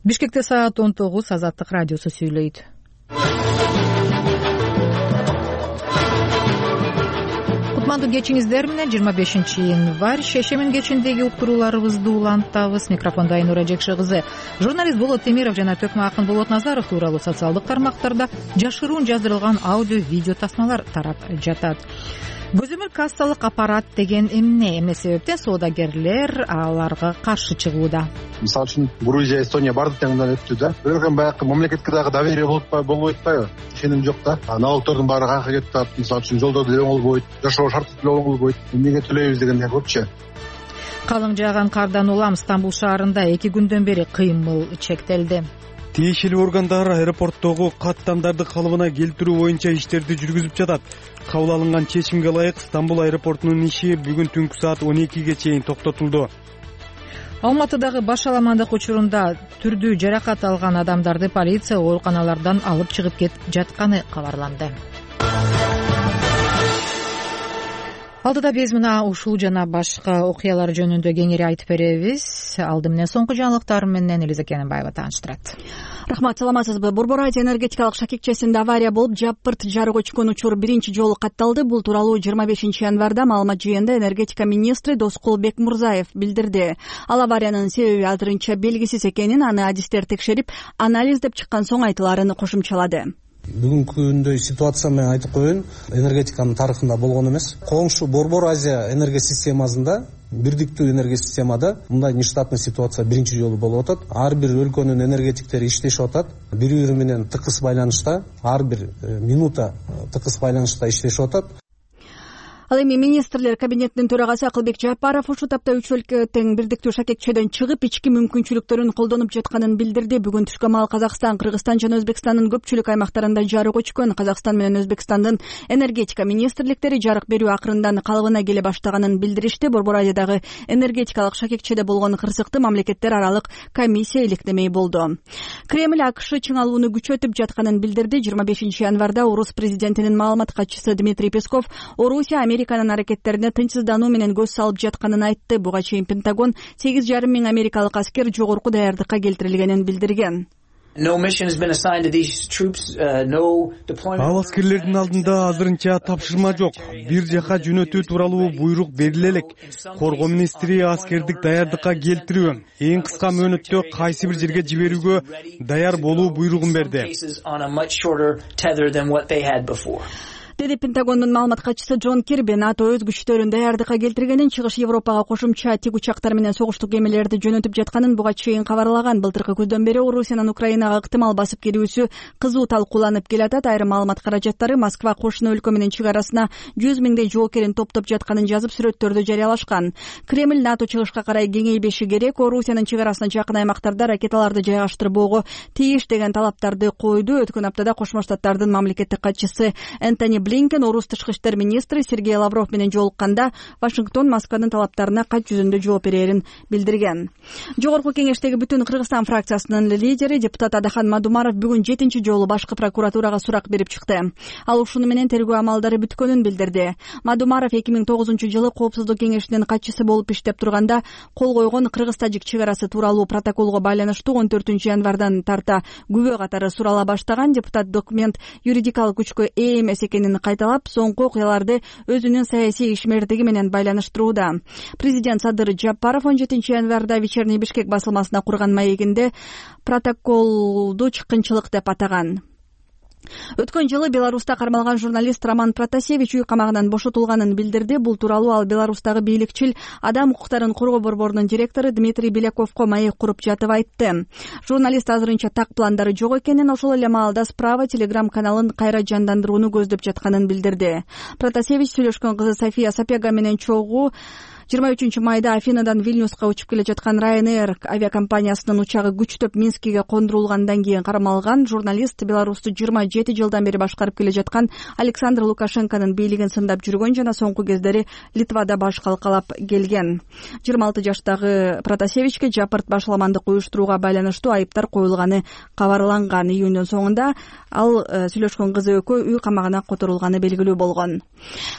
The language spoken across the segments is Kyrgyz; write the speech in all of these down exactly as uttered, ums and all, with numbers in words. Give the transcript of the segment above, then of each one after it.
Бишкекте саат он тогуз. Азаттык радиосу сүйлөйт. Кутмандуу кечиңиздер менен жыйырма бешинчи январь шешемин кечиндеги уктурууларыбызды улантабыз. Микрофондо Айнура Жекши кызы. Журналист Болот Темиров жана төкмө акын Болот Назаров тууралуу социалдык тармактарда жашыруун жаздырылган аудио видео тасмалар тарап жатат. Көзөмөл кассалык аппарат деген эмне? Эмне себептен соодагерлер аларга каршы чыгууда? Мисалы үчүн Грузия, Эстония баардык теңден өттү да. Бирок эми баягы мамлекетке дагы доверие болбойт атпайбы? Ишеним жок да. Налогтордун баары канка кетип атат. Мисалы үчүн жолдор деле оңолбойт, жашоо шарты деле оңолбойт. Эмнеге төлөйбүз дегенде көпчү. Калың жааган кардан улам Стамбул шаарында эки күндөн бери кыймыл чектелди. Тиешелүү органдар аэропорттогу каттамдарды калыбына келтирүү боюнча иштерди жүргүзүп жатат. Кабыл алынган чечимге ылайык Стамбул аэропортунун иши бүгүн түнкү саат он экиге чейин токтотулду. Алматыдагы башаламандык учурунда түрдүү жаракат алган адамдарды полиция ооруканалардан алып чыгып кетип жатканы кабарланды. Алдыда биз мына ушул жана башка окуялар жөнүндө кеңири айтып беребиз. Алды менен соңку жаңылыктар менен Элиза Кененбаева тааныштырат. Рахмат, саламатсызбы? Борбор Азия энергетикалык шакекчесинде авария болуп, жапырт жарык өчкөн учур биринчи жолу катталды. Бул тууралуу жыйырма бешинчи январда маалымат жыйында энергетика министри Доскул Бекмурзаев билдирди. Ал авариянын себеби азырынча белгисиз экенин, аны адистер текшерип, анализдеп чыккан соң айтыларын кошумчалады. Бүгүнкү күндө ситуация менен айтып коеюн, энергетиканын тарыхында болгон эмес. Коңшу Борбор Азия энергия системасында, бирдиктүү энергия системада мындай нештатный ситуация биринчи жолу болуп атат. Ар бир өлкөнүн энергетиктери иштешип атат. Бири-бири менен тыкыз байланышта, ар бир минута тыкыз байланышта иштешип атат. Ал эми министрлер кабинетинин төрагасы Акылбек Жапаров ушул тапта үч өлкө тең бирдиктүү шакекчеден чыгып, ички мүмкүнчүлүктөрүн колдонуп жатканын билдирди. Бүгүн түшкө маал Казакстан, Кыргызстан жана Өзбекстандын көпчүлүк аймактарында жарык өчкөн. Казакстан менен Өзбекстандын энергетика министрликтери жарык берүү акырындан калыбына келе баштаганын билдиришти. Борбор Азиядагы энергетикалык шакекчеде болгон кырсыкты мамлекеттер аралык комиссия иликтемей болду. Кремль АКШ чыңалууну күчөтүп жатканын билдирди. жыйырма бешинчи январда Орус президентинин маалымат катчысы Дмитрий Песков Орусия Американын аракеттерине тынчсыздануу менен көз салып жатканын айтты. Буга чейин Пентагон сегиз жарым миң америкалык аскер жогорку даярдыкка келтирилгенин билдирген. Ал аскерлердин алдында азырынча тапшырма жок. Бир жака жөнөтүү тууралуу буйрук бериле элек. Коргоо министри аскердик даярдыкка келтирүү, эң кыска мөөнөттө кайсы бир жерге жиберүүгө даяр болуу буйругун берди, деди Пентагондун маалымат катчысы Джон Кирби. НАТО өз күчтөрүн даярдыкка келтиргенин, Чыгыш Европага кошумча тик учактар менен согуштук кемелерди жөнөтүп жатканын буга чейин кабарлаган. Былтыркы күздөн бери Орусиянын Украинага ыктымал басып кирүүсү кызуу талкууланып келатат. Айрым маалымат каражаттары Москва кошуна өлкө менен чек арасына жүз миңдей жоокерин топтоп жатканын жазып, сүрөттөрдү жарыялашкан. Кремль НАТО чыгышка карай кеңейбеши керек, Орусиянын чек арасына жакын аймактарда ракеталарды жайгаштырбоого тийиш деген талаптарды койду. Өткөн аптада Кошмо Штаттардын мамлекеттик катчысы Энтони Блинкен Орус тышкы иштер министри Сергей Лавров менен жолукканда Вашингтон Москванын талаптарына кат жүзүндө жооп берерин билдирген. Жогорку кеңештеги бүтүн Кыргызстан фракциясынын лидери депутат Адахан Мадумаров бүгүн жетинчи жолу башкы прокуратурага сурак берип чыкты. Ал ушуну менен тергөө амалдары бүткөнүн билдирди. Мадумаров эки миң тогузунчу жылы Коопсуздук кеңешинин катчысы болуп иштеп турганда кол койгон Кыргыз-Тажик чек арасы тууралуу протоколго байланыштуу он төртүнчү январдан тарта күбө катары сурала баштаган. Депутат документ юридикалык күчкө ээ эмес экенин кайталап, соңку окуяларды өзүнүн саясий ишмердиги менен байланыштырууда. Президент Садыр Жапаров он жетинчи январда Вечерний Бишкек басылмасына курган маегинде протоколду чыккынчылык деп атаган. Өткөн жылы Беларуста кармалган журналист Роман Протасевич үй камагынан бошотулганын билдирди. Бул тууралуу ал Беларустагы бийликчил адам укуктарын коргоо борборунун директору Дмитрий Беляковго маек куруп жатып айтты. Журналист азырынча так пландары жок экенин, ошол эле маалда Справа телеграм каналын кайра жандандырууну көздөп жатканын билдирди. Протасевич сүйлөшкөн кызы София Сапега менен чогуу жыйырма үчүнчү майда Афинадан Вильнюска учуп келе жаткан Ryanair авиакомпаниясынын учагы күчтөп Минскиге кондурулгандан кийин кармалган. Журналист Беларусту жыйырма жети жылдан бери башкарып келе жаткан Александр Лукашенконун бийлигин сындап жүргөн жана соңку кездери Литвада баш калкалап келген. жыйырма алты жаштагы Протасевичке жапырт башаламандык уюштурууга байланыштуу айыптар коюлганы кабарланган. Июндун соңунда ал сүйлөшкөн кызы экөө үй камагына которулганы белгилүү болгон.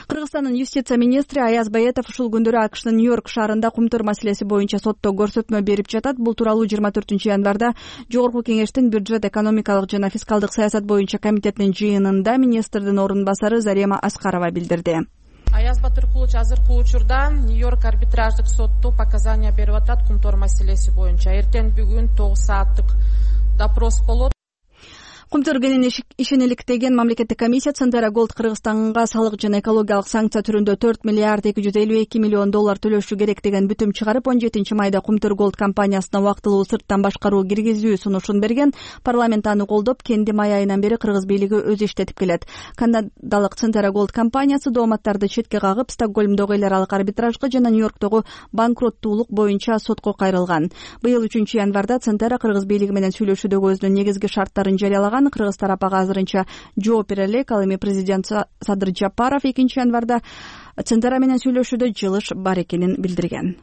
Кыргызстандын юстиция министри Аяз Баетов ушул күндөрү акшнын Нью-Йорк шаарында кумтур маселеси боюнча сотто көрсөтмө берип жатат. Бул тууралуу жыйырма төртүнчү январда Жогорку кеңештин бюджет, экономикалык жана фискалдык саясат боюнча комитетинин жыйынында министрдин орун басары Зарема Аскарова билдирди. Аяз Батыркулович азыркы учурда Нью-Йорк арбитраждык сотту показания берип атат кумтор маселеси боюнча. Эртең бүгүн тогуз сааттык допрос болот. Кумтур кенен ишенеликтеген мамлекеттик комиссия Центера Голд Кыргызстанга салык жана экологиялык санкция түрүндө төрт миллиард эки жүз элүү эки миллион доллар төлөшү керек деген бүтүм чыгарып, он жетинчи майда Кумтур Голд компаниясына убактылуу сырттан башкаруу киргизүү сунушун берген. Парламент аны колдоп, кенди май айынан бери кыргыз бийлиги өзү иштетип келет. Канадалык Центера Голд компаниясы дооматтарды четке кагып, Стокгольмдогу эл аралык арбитражга жана Нью-Йорктогу банкроттуулук боюнча сотко кайрылган. Быйыл үчүнчү январда Центера кыргыз бийлиги менен сүйлөшүүдөгү өзүнүн негизги шарттарын жарыялаган. Кыргыз тарап ага азырынча жооп бере элек. Ал эми президент Садыр Жапаров экинчи январда Центера менен сүйлөшүүдө жылыш бар экенин билдирген.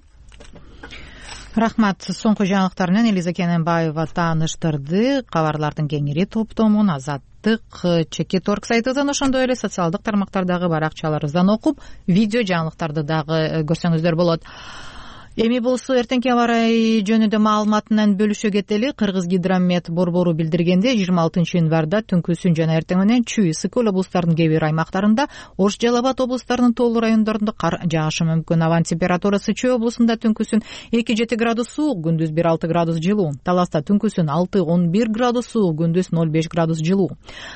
Рахмат. Соңку жаңылыктар менен Элиза Кененбаева тааныштырды. Кабарлардын кеңири топтомун Азаттык Чекит орг сайтынан, ошондой эле социалдык тармактардагы баракчаларыбыздан окуп, видео жаңылыктарды дагы көрсөңүздөр болот. Эми болсо эртеңки аба ырайы жөнүндө маалымат менен бөлүшө кетели. Кыргызгидромет борбору билдиргенде, жыйырма алтынчы январда түнкүсүн жана эртең менен Чүй, Ысык-Көл облустарынын кээ бир аймактарында, Ош, Жалал Абад облустарынын тоолуу райондорунда кар жаашы мүмкүн. Абанын температурасы Чүй облусунда түнкүсүн эки жети градус суук, күндүз бир алты градус жылуу. Таласта түнкүсүн алты он бир градус суук, күндүз ноль беш градус жылуу.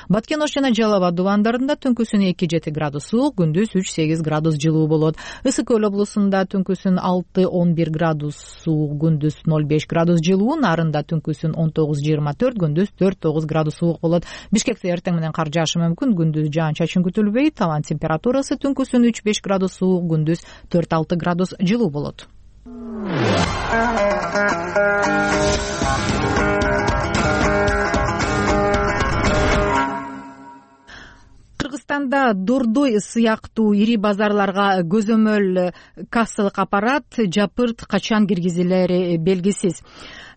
Баткен, Ош жана Жалал Абад дубандарында түнкүсүн эки жети градус суук, күндүз үч сегиз градус жылуу болот. Ысык-Көл облусунда түнкүсүн алты он бир градус суук, күндүз ноль беш градус жылуу. Нарында түнкүсүн он тогуз жыйырма төрт, күндүз төрт тогуз градус суук болот. Бишкекте эртең менен кар жаашы мүмкүн, күндүз жаан-чачын күтүлбөйт. Табан температурасы түнкүсүн үч беш градус суук, күндүз төрт алты градус жылуу болот. Кыргызстанда Дордой сыяктуу ири базарларга көзөмөл кассалык аппарат жапырт качан киргизилери белгисиз.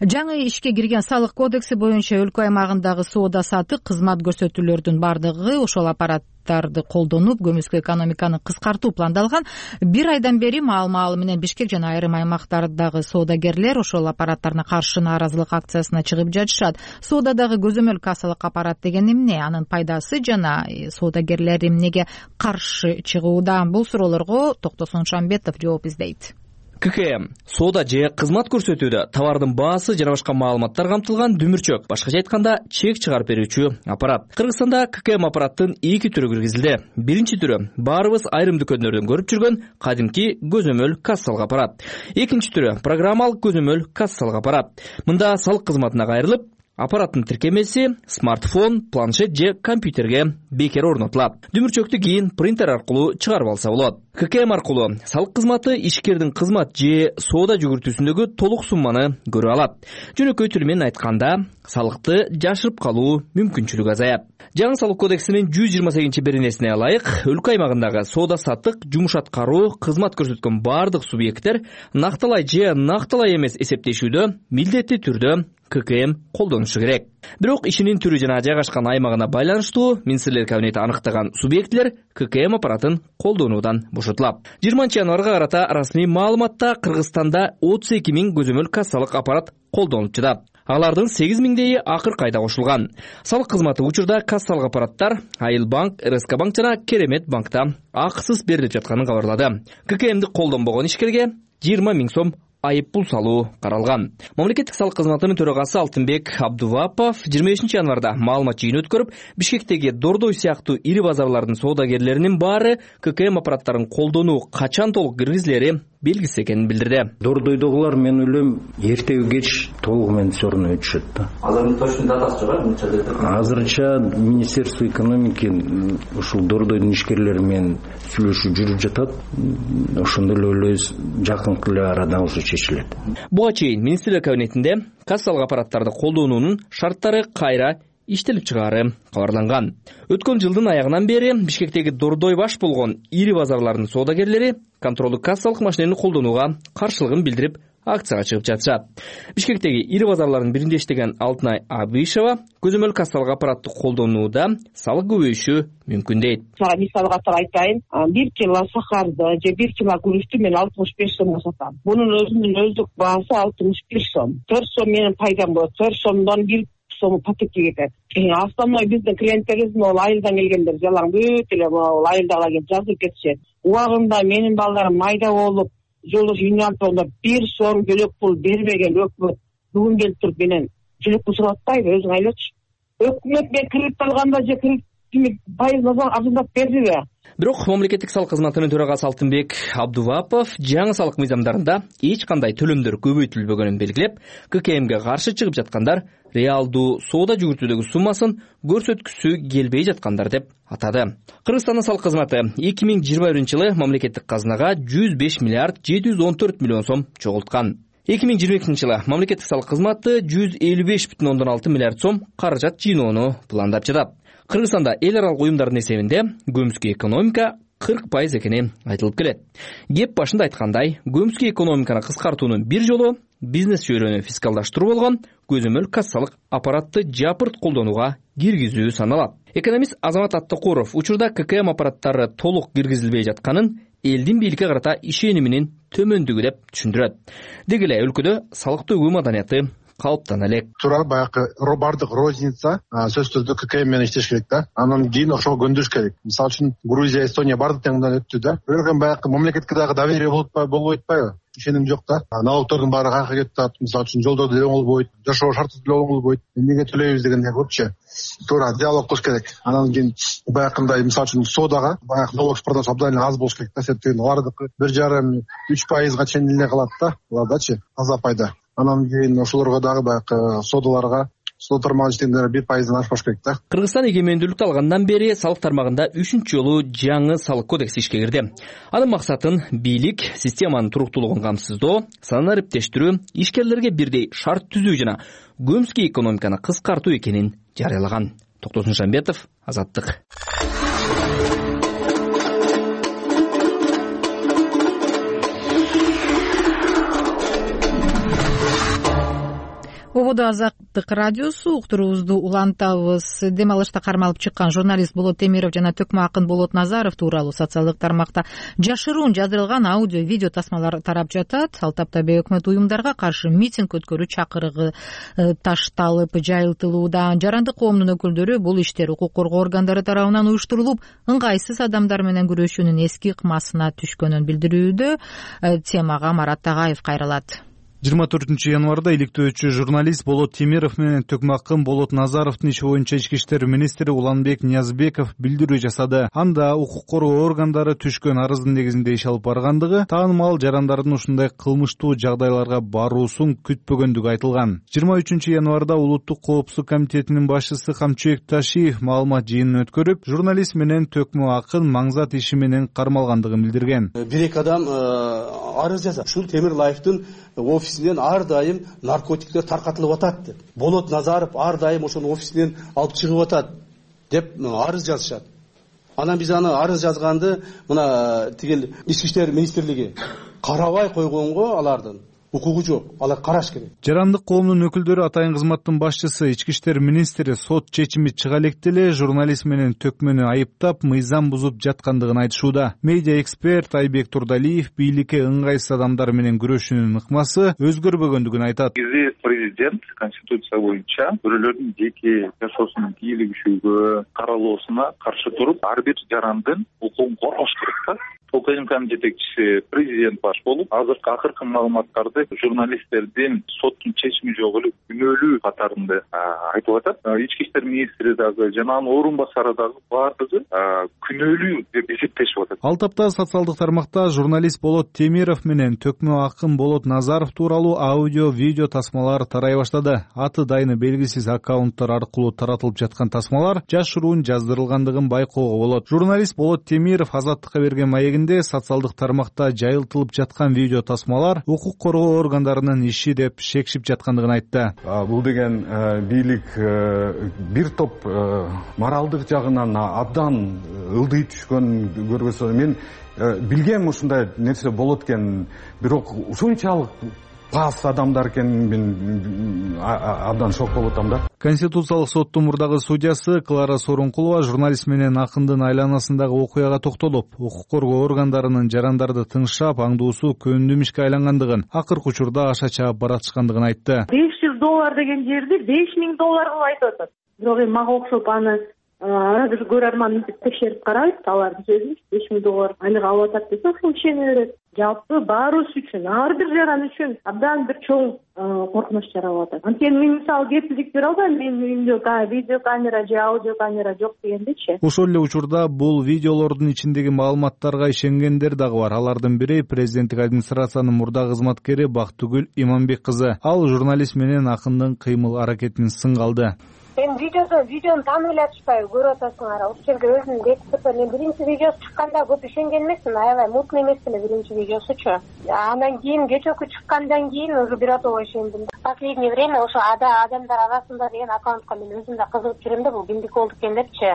Жаңы ишке кирген салык кодекси боюнча өлкө аймагындагы соода сатык, кызмат көрсөтүүлөрдүн бардыгы ошол аппараттарды колдонуп, көмүскө экономиканы кыскартуу пландалган. Бир айдан бери маал-маал менен Бишкек жана айрым аймактардагы соодагерлер ошол аппараттарына каршы нааразылык акциясына чыгып жатышат. Соодадагы көзөмөл кассалык аппарат деген эмне? Анын пайдасы жана соодагерлер эмнеге каршы чыгууда? Бул суроолорго Токтосун Шамбетов жооп издейт. ККМ соода же кызмат көрсөтүүдө товардын баасы жана башка маалыматтар камтылган дүмүрчөк, башкача айтканда чек чыгарып берүүчү аппарат. Кыргызстанда ККМ аппараттын эки түрү киргизилди. Биринчи түрү баарыбыз айрым дүкөндөрдөн көрүп жүргөн кадимки көзөмөл кассалык аппарат. Экинчи түрү программалык көзөмөл кассалык аппарат. Мында салык кызматына кайрылып, аппараттын тиркемеси смартфон, планшет же компьютерге бекер орнотулат. Дүмүрчөктү кийин принтер аркылуу чыгарып алса болот. ККМ аркылуу салык кызматы ишкердин кызмат же соода жүгүртүүсүндөгү толук сумманы көрө алат. Жөнөкөй тили менен айтканда, салыкты жашырып калуу мүмкүнчүлүгү азаят. Жаңы салык кодексинин жүз жыйырма сегизинчи беренесине ылайык, өлкө аймагындагы соода саттык, жумуш аткаруу, кызмат көрсөткөн бардык субъекттер накталай же накталай эмес эсептешүүдө милдеттүү түрдө ККМ колдонушу керек. Бирок ишинин түрү жана жайгашкан аймагына байланыштуу министрлер кабинети аныктаган субъектлер ККМ аппаратын колдонуудан бошотулат. жыйырманчы январга карата расмий маалыматта Кыргызстанда отуз эки миң көзөмөл кассалык аппарат колдонулуп жатат. Алардын сегиз миңдейи акыркы айда кошулган. Салык кызматы учурда кассалык аппараттар Айыл банк, РСК банк жана Керемет банкта акысыз берилип жатканын кабарлады. ККМди колдонбогон ишкерге жыйырма миң сом айып пул салуу каралган. Мамлекеттик салык кызматынын төрагасы Алтынбек Абдувапов жыйырма бешинчи январда маалымат жыйын өткөрүп, Бишкектеги Дордой сыяктуу ири базарлардын соодагерлеринин баары ККМ аппараттарын колдонуу качан толук киргизилери белгисиз экенин билдирди. Дордойдогулар мен ойлойм эртеби кеч толугу менен все равно өтүшөт да. Азыр точно датасы жок. Азырынча Министерство экономики ушул Дордойдун ишкерлери менен сүйлөшүү жүрүп жатат. Ошондой эле ойлойбуз, жакынкы эле арада ошо чечилет. Буга чейин министрлер кабинетинде кассалык аппараттарды колдонуунун шарттары кайра иштелип чыгаары кабарланган. Өткөн жылдын аягынан бери Бишкектеги Дордой баш болгон ири базарлардын соодагерлери контролдук кассалык машинени колдонууга каршылыгын билдирип акцияга чыгып жатышат. Бишкектеги ири базарлардын биринде иштеген Алтынай Абишева көзөмөл кассалык аппаратты колдонууда салык көбөйүшү мүмкүн дейт. Мисалга айтайын, бир кило сахарды же бир кило күрүчтү мен алтымыш беш сомго сатам. Бунун өзүнүн өздүк баасы алтымыш бир сом. төрт сом менен пайдам болот. төрт сомдон бир сому пакетке кетет. Основной биздин клиенттерибиз могу айылдан келгендер, жалаң бүт эле могу айылдагы келип жазып кетишет. Убагында менин балдарым майда болуп, жолдош юниалпондо бир сом жөлөк пул бербеген өкмөт бүгүн келип туруп менен жөлөк пул сурап атпайбы, өзүң айлачы. Өкмөт мен кредит алганда же кредит пайызын арзандап бердиби? Бирок мамлекеттик салык кызматынын төрагасы Алтынбек Абдувапов жаңы салык мыйзамдарында эч кандай төлөмдөр көбөйтүлбөгөнүн белгилеп, ККМге каршы чыгып жаткандар реалдуу соода жүгүртүүдөгү суммасын көрсөткүсү келбей жаткандар деп атады. Кыргызстандын салык кызматы эки миң жыйырма биринчи жылы мамлекеттик казынага жүз беш миллиард жети жүз он төрт миллион сом чогулткан. эки миң жыйырма экинчи жылы мамлекеттик салык кызматы жүз элүү беш бүтүн ондон алты миллиард сом каражат жыйноону пландап жатат. Кыргызстанда эл аралык уюмдардын эсебинде көмүскө экономика кырк пайыз экени айтылып келет. Кеп башында айткандай, көмүскө экономиканы кыскартуунун бир жолу бизнес чөйрөнү фискалдаштыруу болгон көзөмөл кассалык аппаратты жапырт колдонууга киргизүү саналат. Экономист Азамат Аттакуров учурда ККМ аппараттары толук киргизилбей жатканын элдин бийликке карата ишениминин төмөндүгү деп түшүндүрөт. Деги эле өлкөдө салык төгүү маданияты калыптана элек. Туура баягы бардык розница сөзсүз түрдө ККМ менен иштеш керек да. Анан кийин ошого көндүрүш керек. Мисалы үчүн Грузия, Эстония бардык теңден өттү да. Бирок эми баягы мамлекетке дагы доверие болуп болбой атпайбы? Ишеним жок да. Налогтордун баары кайка кетип атат. Мисалы үчүн жолдорду деле оңолбойт, жашоо шарты деле оңолбойт. Эмнеге төлөйбүз дегендей көпчө туура диалог кылыш керек. Анан кийин баягындай мисалы үчүн соодага баягы налог продаж абдан аз болуш керек да. Себеби алардыкы бир жарым үч пайызга чейин эле калат да. Алардачы таза пайда. Анан кийин ошолорго дагы баягы соодаларга соода тармагын иштегендер бир пайыздан ашпаш керек да. Кыргызстан эгемендүүлүктү алгандан бери салык тармагында үчүнчү жолу жаңы салык кодекси ишке кирди. Анын максатын бийлик системанын туруктуулугун камсыздоо, санын ариптештирүү, ишкерлерге бирдей шарт түзүү жана көмүскө экономиканы кыскартуу экенин жарыялаган. Токтосун Шамбетов, Азаттык. Ободо Азаттык радиосу уктуруубузду улантабыз. Дем алышта кармалып чыккан журналист Болот Темиров жана төкмө акын Болот Назаров тууралуу социалдык тармакта жашыруун жаздырылган аудио видео тасмалар тарап жатат. Ал тапта бейөкмөт уюмдарга каршы митинг өткөрүү чакырыгы ташталып жайылтылууда. Жарандык коомдун өкүлдөрү бул иштер укук коргоо органдары тарабынан уюштурулуп, ыңгайсыз адамдар менен күрөшүүнүн эски ыкмасына түшкөнүн билдирүүдө. Темага Марат Тагаев кайрылат. жыйырма төртүнчү январда иликтөөчү журналист Болот Темиров менен төкмө акын Болот Назаровдун иши боюнча ички иштер министри Уланбек Ниязбеков билдирүү жасады. Анда укук коргоо органдары түшкөн арыздын негизинде иш алып баргандыгы, таанымал жарандардын ушундай кылмыштуу жагдайларга баруусун күтпөгөндүгү айтылган. жыйырма үчүнчү январда Улуттук коопсуздук комитетинин башчысы Камчыбек Ташиев маалымат жыйынын өткөрүп, журналист менен төкмө акын маңзат иши менен кармалгандыгын билдирген. Бир эки адам арыз жазат. Ушул Темирлаевдин офисинен ар дайым наркотиктер таркатылып атат деп. Болот Назаров ар дайым ошонун офисинен алып чыгып атат деп арыз жазышат. Анан биз аны арыз жазганды мына тигил ички иштер министрлиги карабай койгонго алардын укугу жок. Алар караш керек. Жарандык коомдун өкүлдөрү атайын кызматтын башчысы ички иштер министри сот чечими чыга электе эле журналист менен төкмөнү айыптап, мыйзам бузуп жаткандыгын айтышууда. Медиа эксперт Айбек Турдалиев бийликке ыңгайсыз адамдар менен күрөшүүнүн ыкмасы өзгөрбөгөндүгүн айтат. Бизи президент конституция боюнча бирөөлөрдүн жеке жашоосунун кийлигишүүгө, каралоосуна каршы туруп, ар бир жарандын укугун коргош керек да. ОКМКнын жетекчиси президент баш болуп, азыркы акыркы маалыматтарды журналисттердин соттун чечими жок эле күнөөлүү катарында айтып атат. Ички иштер министри дагы жана анын орун басары дагы баардыгы күнөөлүү деп эсептешип атат. Ал тапта социалдык тармакта журналист Болот Темиров менен төкмө акын Болот Назаров тууралуу аудио видео тасмалар тарай баштады. Аты дайыны белгисиз аккаунттар аркылуу таратылып жаткан тасмалар жашыруун жаздырылгандыгын байкоого болот. Журналист Болот Темиров Азаттыкка берген маегинде социалдык тармакта жайылтылып жаткан видео тасмалар укук коргоо органдарынын иши деп шекшип жаткандыгын айтты. Бул деген бийлик бир топ моралдык жагынан абдан ылдый түшкөн көргөзө. Мен билгем ушундай нерсе болот экен, бирок ушунчалык пас адамдар экенин мен абдан шок болуп атам да. Конституциялык соттун мурдагы судьясы Клара Сооронкулова журналист менен акындын айланасындагы окуяга токтолуп, укук коргоо органдарынын жарандарды тыңшап, аңдуусу көндүм ишке айлангандыгын, акыркы учурда аша чаап баратышкандыгын айтты. беш жүз доллар деген жерди беш миң доллар кылып айтып атат. Бирок эми мага окшоп аны ара бир көрөрман мынтип текшерип карайт, алардын сөзүн беш миң доллар айлык алып атат десе, ошол ишене берет. Жалпы баарыбыз үчүн, ар бир жаран үчүн абдан бир чоң коркунуч жаралып атат. Анткени мен мисалы кепилдик бере албайм, менин үйүмдө видео камера же аудио камера жок дегендечи. Ошол эле учурда бул видеолордун ичиндеги маалыматтарга ишенгендер дагы бар. Алардын бири президенттик администрациянын мурда кызматкери Бактыгүл Иманбек кызы. Ал журналист менен акындын кыймыл аракетин сынга алды. Мен видеоду видеону таанып эле атышпайбы, көрүп атасыңар. Ошол жерге өзүм бекитип, мен биринчи видеосу чыкканда көп ишенген эмесмин, аябай мутный эмес эле биринчи видеосучу. Андан кийин кечээкү чыккандан кийин уже биротого ишендим. Последнее время ошо адамдар арасында деген аккаунтка мен өзүм да кызыгып жүрөм да, бул кимдики болду экен депчи.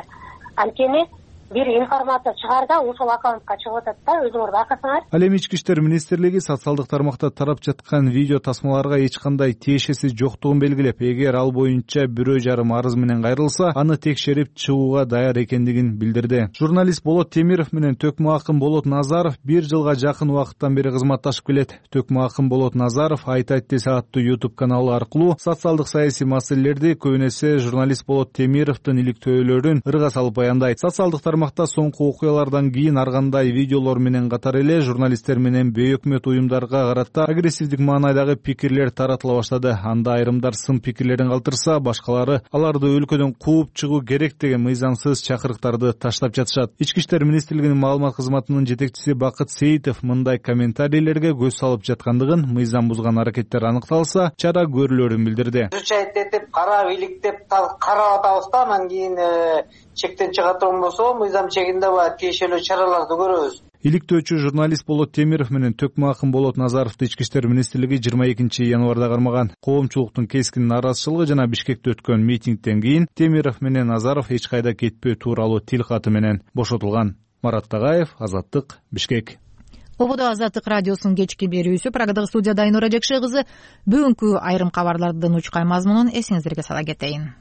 Анткени бир информация чыгарда ошол аккаунтка чыгып атат да, өзүңөр байкасаңар. Ал эми Ички иштер министрлиги социалдык тармакта тарап жаткан видео тасмаларга эч кандай тиешеси жоктугун белгилеп, эгер ал боюнча бирөө жарым арыз менен кайрылса, аны текшерип чыгууга даяр экендигин билдирди. Журналист Болот Темиров менен Төкмө акын Болот Назаров бир жылга жакын убакыттан бери кызматташып келет. Төкмө акын Болот Назаров Айтайт десе аттуу YouTube каналы аркылуу социалдык саясий маселелерди көбүн эсе журналист Болот Темировдун иликтөөлөрүн ырга салып баяндайт. Социалдык тармакта соңку окуялардан кийин ар кандай видеолор менен катар эле журналисттер менен бейөкмөт уюмдарга карата агрессивдик маанайдагы пикирлер таратыла баштады. Анда айрымдар сын пикирлерин калтырса, башкалары аларды өлкөдөн кууп чыгуу керек деген мыйзамсыз чакырыктарды таштап жатышат. Ички иштер министрлигинин маалымат кызматынын жетекчиси Бакыт Сейитов мындай комментарийлерге көз салып жаткандыгын, мыйзам бузган аракеттер аныкталса, чара көрүлөрүн билдирди. Этип, карап, иликтеп, карап атабыз да, анан кийин чектен чыга турган болсо, мыйзам чегинде бар тиешелүү чараларды көрөбүз. Иликтөөчү журналист Болот Темиров менен Төкмө акын Болот Назаровду Ички иштер министрлиги жыйырма экинчи январда кармаган. Коомчулуктун кескин наразычылыгы жана Бишкекте өткөн митингден кийин Темиров менен Назаров эч кайда кетпөө тууралуу тил каты менен бошотулган. Марат Тагаев, Азаттык, Бишкек. Ободо Азаттык радиосунун кечки берүүсү. Программадагы студияда Айнура Жекше кызы. Бүгүнкү айрым кабарлардын учкай мазмунун эсиңиздерге сала кетейин.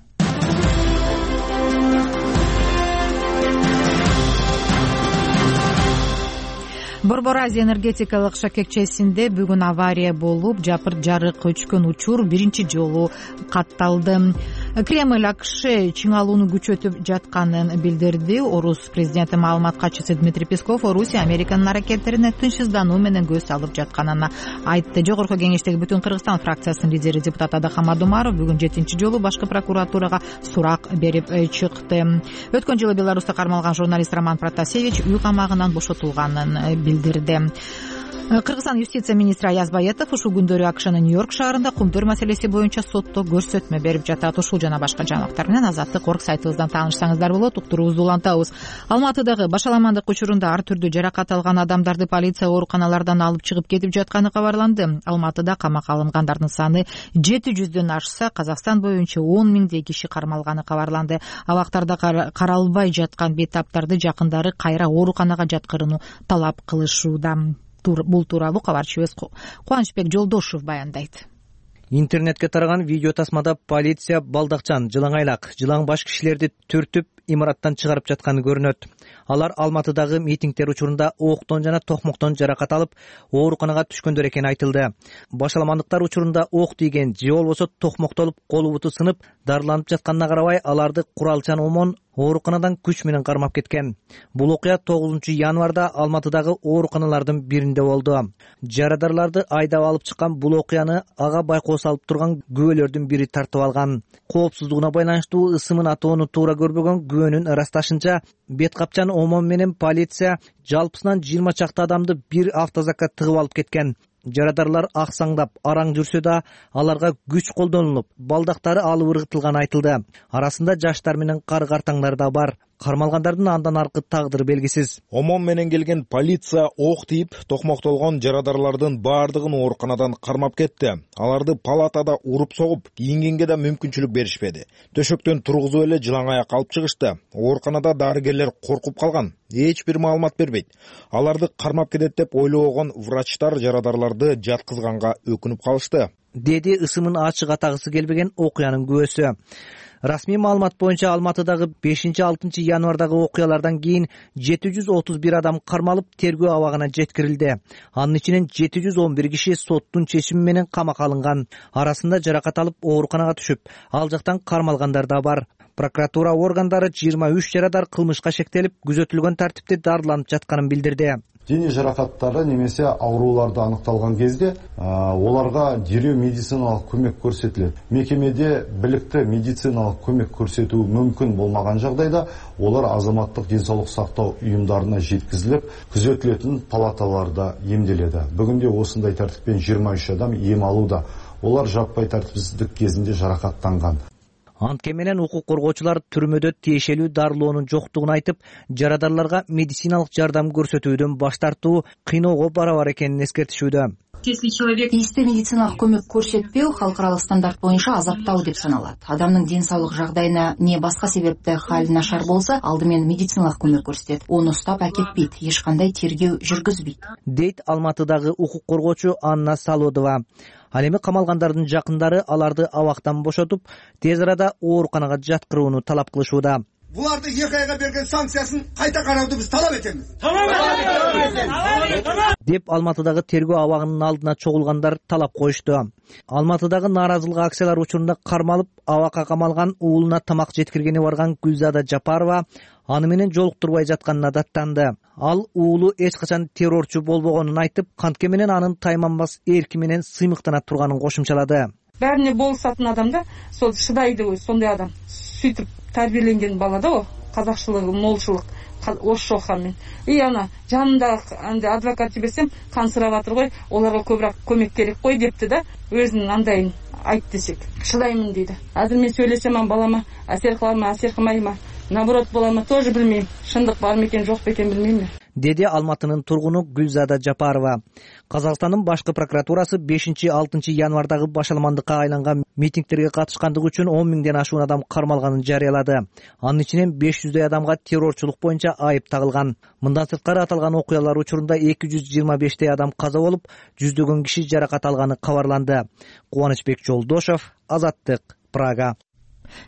Борбор Азия энергетикалык шакекчесинде бүгүн авария болуп, жапырт жарык өчкөн учур биринчи жолу катталды. Кремль АКШ чыңалууну күчөтүп жатканын билдирди. Орус президенти маалымат катчысы Дмитрий Песков Орусия Американын аракеттерине тынчсыздануу менен көз салып жатканын айтты. Жогорку кеңештеги Бүтүн Кыргызстан фракциясынын лидери депутат Адахам Адумаров бүгүн жетинчи жолу башкы прокуратурага сурак берип чыкты. Өткөн жылы Беларуста кармалган журналист Роман Протасевич үй камагынан бошотулганын билдирди. Кыргызстан юстиция министри Аяз Баетов ушул күндөрү АКШнын Нью-Йорк шаарында кумтөр маселеси боюнча сотто көрсөтмө берип жатат. Ушул жана башка жаңылыктар менен Азаттык орг сайтыбыздан таанышсаңыздар болот. Уктуруубузду улантабыз. Алматыдагы башаламандык учурунда ар түрдүү жаракат алган адамдарды полиция ооруканалардан алып чыгып кетип жатканы кабарланды. Алматыда камакка алынгандардын саны жети жүздөн ашса, Казакстан боюнча он миңдей киши кармалганы кабарланды. Абактарда каралбай жаткан бейтаптарды жакындары кайра ооруканага жаткырууну талап кылышууда. Бул тууралуу кабарчыбыз Кубанычбек Жолдошев баяндайт. Интернетке тараган видео тасмада полиция балдакчан, жылаңайлак, жылаң баш кишилерди түртүп имараттан чыгарып жатканы көрүнөт. Алар Алматыдагы митингдер учурунда октон жана токмоктон жаракат алып, ооруканага түшкөндөр экени айтылды. Башаламандыктар учурунда ок тийген же болбосо токмоктолуп, колу буту сынып, дарыланып жатканына карабай, аларды куралчан омон ооруканадан күч менен кармап кеткен. Бул окуя тогузунчу январда Алматыдагы ооруканалардын биринде болду. Жарадарларды айдап алып чыккан бул окуяны ага байкоо салып турган күбөлөрдүн бири тартып алган. Коопсуздугуна байланыштуу ысымын атоону туура көрбөгөн күбөнүн ырасташынча, бет капчан омон менен полиция жалпысынан жыйырма чакты адамды бир автозакка тыгып алып кеткен. Жарадарлар аксаңдап, араң жүрсө да, аларга күч колдонулуп, балдактары алып ыргытылганы айтылды. Арасында жаштар менен кары картаңдар да бар. кармалгандардын андан аркы тагдыры белгисиз. Омон менен келген полиция ок тийип токмоктолгон жарадарлардын баардыгын ооруканадан кармап кетти. Аларды палатада уруп согуп, кийингенге да мүмкүнчүлүк беришпеди. Төшөктөн тургузуп эле жылаң аяк алып чыгышты. Ооруканада дарыгерлер коркуп калган. Эч бир маалымат бербейт. Аларды кармап кетет деп ойлогон врачтар жарадарларды жаткызганга өкүнүп калышты, деди ысымын ачык атагысы келбеген окуянын күбөсү. Расмий маалымат боюнча Алматыдагы бешинчи алтынчы январдагы окуялардан кийин жети жүз отуз бир адам кармалып тергөө абагына жеткирилди. Анын ичинен жети жүз он бир киши соттун чечими менен камакка алынган. Арасында жаракат алып ооруканага түшүп, ал жактан кармалгандар да бар. Прокуратура органдары жыйырма үч жарадар кылмышка шектелип, күзөтүлгөн тартипте дарыланып жатканын билдирди. Дене жаракаттары немесе ауруларды аныкталган кезде оларга дереу медициналык көмөк көрсөтүлөт. Мекемеде биликтүү медициналык көмөк көрсөтүү мүмкүн болмаган жагдайда олар азаматтык ден соолук сактоо уюмдарына жеткизилип, күзөтүлөтүн палаталарда эмделеді. Бүгүнде осындай тартиппен жыйырма үч адам эм алууда. Олар жаппай тартипсиздик кезинде жаракаттанган. Антке менен укук коргоочулар түрмөдө тиешелүү дарылоонун жоктугун айтып, жарадарларга медициналык жардам көрсөтүүдөн баш тартуу кыйноого барабар экенин эскертишүүдө. Если человек тиешелүү медициналык көмөк көрсөтпөө халыкаралык стандарт боюнча азаптоо деп саналат. Адамдын ден соолук жагдайына не башка себепте хали нашар болсо, алдымен медициналык көмөк көрсөтөт. Ону уктап акетпейт, эч кандай тергөө жүргүзбөйт, дейт Алматыдагы укук коргоочу Анна Салодова. Ал эми камалгандардын жакындары аларды абактан бошотуп, тез арада ооруканага жаткырууну талап кылышууда. Буларды эки айга берген санкциясын кайта карауду биз талап этебиз. Деп Алматыдагы тергөө абагынын алдына чогулгандар талап коюшту. Алматыдагы нааразылык акциялар учурунда кармалып, абакка камалган уулуна тамак жеткиргени барган Гүлзада Жапарова аны менен жолуктурбай жатканына даттанды. Ал уулу эч качан террорчу болбогонун айтып, кантке менен анын тайманбас эрки менен сыймыктана турганын кошумчалады. Бәріне болсатын адамда сол шыдайды, сондай адам. Сүйтіп тәрбиеленген бала да о, қазақшылығы, молшылық, орысша оқығанмен. И ана жанында адвокат жіберсем, қан сұрап жатыр ғой, оларға көбірек көмек керек қой депті да, өзінің андайын айт десек. Шыдаймын дейді. Әзір мен сөйлесем балама әсер қыла ма, әсер қылмай ма, наоборот бола ма, тоже білмеймін. Шындық бар ма екен, жоқ па екен білмеймін. Деди Алматынын тургуну Гүлзада Жапарова. Казакстандын башкы прокуратурасы бешинчи алтынчы январдагы башаламандыкка айланган митингтерге катышкандыгы үчүн он миңден ашуун адам кармалганын жарыялады. Анын ичинен беш жүздөй адамга террорчулук боюнча айып тагылган. Мындан сырткары аталган окуялар учурунда эки жүз жыйырма бештей адам каза болуп, жүздөгөн киши жаракат алганы кабарланды. Кубанычбек Жолдошов, Азаттык, Прага.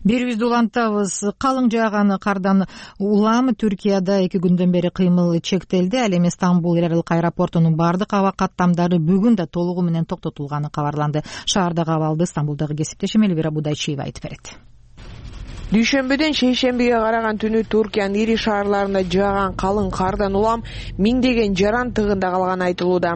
Берүүбүздү улантабыз. Калың жааган кардан улам Түркияда эки күндөн бери кыймыл чектелди. Ал эми Стамбул эл аралык аэропортунун бардык аба каттамдары бүгүн да толугу менен токтотулганы кабарланды. Шаардагы абалды Стамбулдагы кесиптешим Элвира Будайчиева айтып берет. Дүйшөмбүдөн шейшембиге караган түнү Туркиянын ири шаарларында жааган калың кардан улам миңдеген жаран тыгында калганы айтылууда.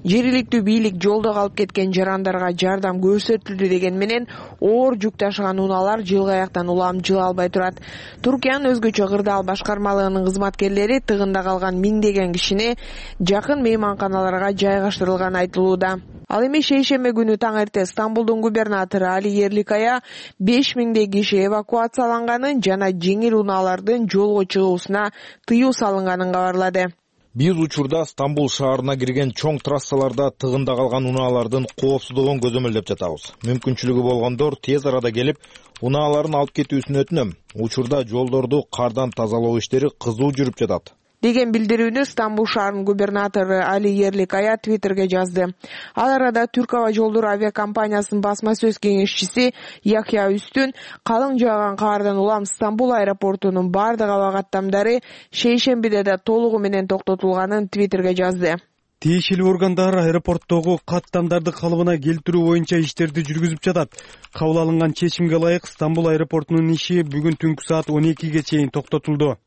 Жергиликтүү бийлик жолдо калып кеткен жарандарга жардам көрсөтүлдү деген менен оор жүк ташыган унаалар жылгы аяктан улам жыла албай турат. Туркиянын өзгөчө кырдаал башкармалыгынын кызматкерлери тыгында калган миңдеген кишини жакын мейманканаларга жайгаштырылганы айтылууда. Ал эми шейшембе күнү таң эрте Стамбулдун губернатору Али Ерликая беш миңдей киши эвакуацияланганын жана жеңил унаалардын жолго чыгуусуна тыюу салынганын кабарлады. Биз учурда Стамбул шаарына кирген чоң трассаларда тыгында калган унаалардын коопсуздугун көзөмөлдөп жатабыз. Мүмкүнчүлүгү болгондор тез арада келип, унааларын алып кетүүсүн өтүнөм. Учурда жолдорду кардан тазалоо иштери кызуу жүрүп жатат, деген билдирүүнү Стамбул шаарынын губернатору Али Ерликая Твиттерге жазды. Ал арада Түрк аба жолдору авиакомпаниясынын басма сөз кеңешчиси Яхья Үстүн калың жааган кардан улам Стамбул аэропортунун бардык аба каттамдары шейшембиде да толугу менен токтотулганын Твиттерге жазды. Тиешелүү органдар аэропорттогу каттамдарды калыбына келтирүү боюнча иштерди жүргүзүп жатат. Кабыл алынган чечимге ылайык Стамбул аэропортунун иши бүгүн түнкү саат он экиге чейин токтотулду.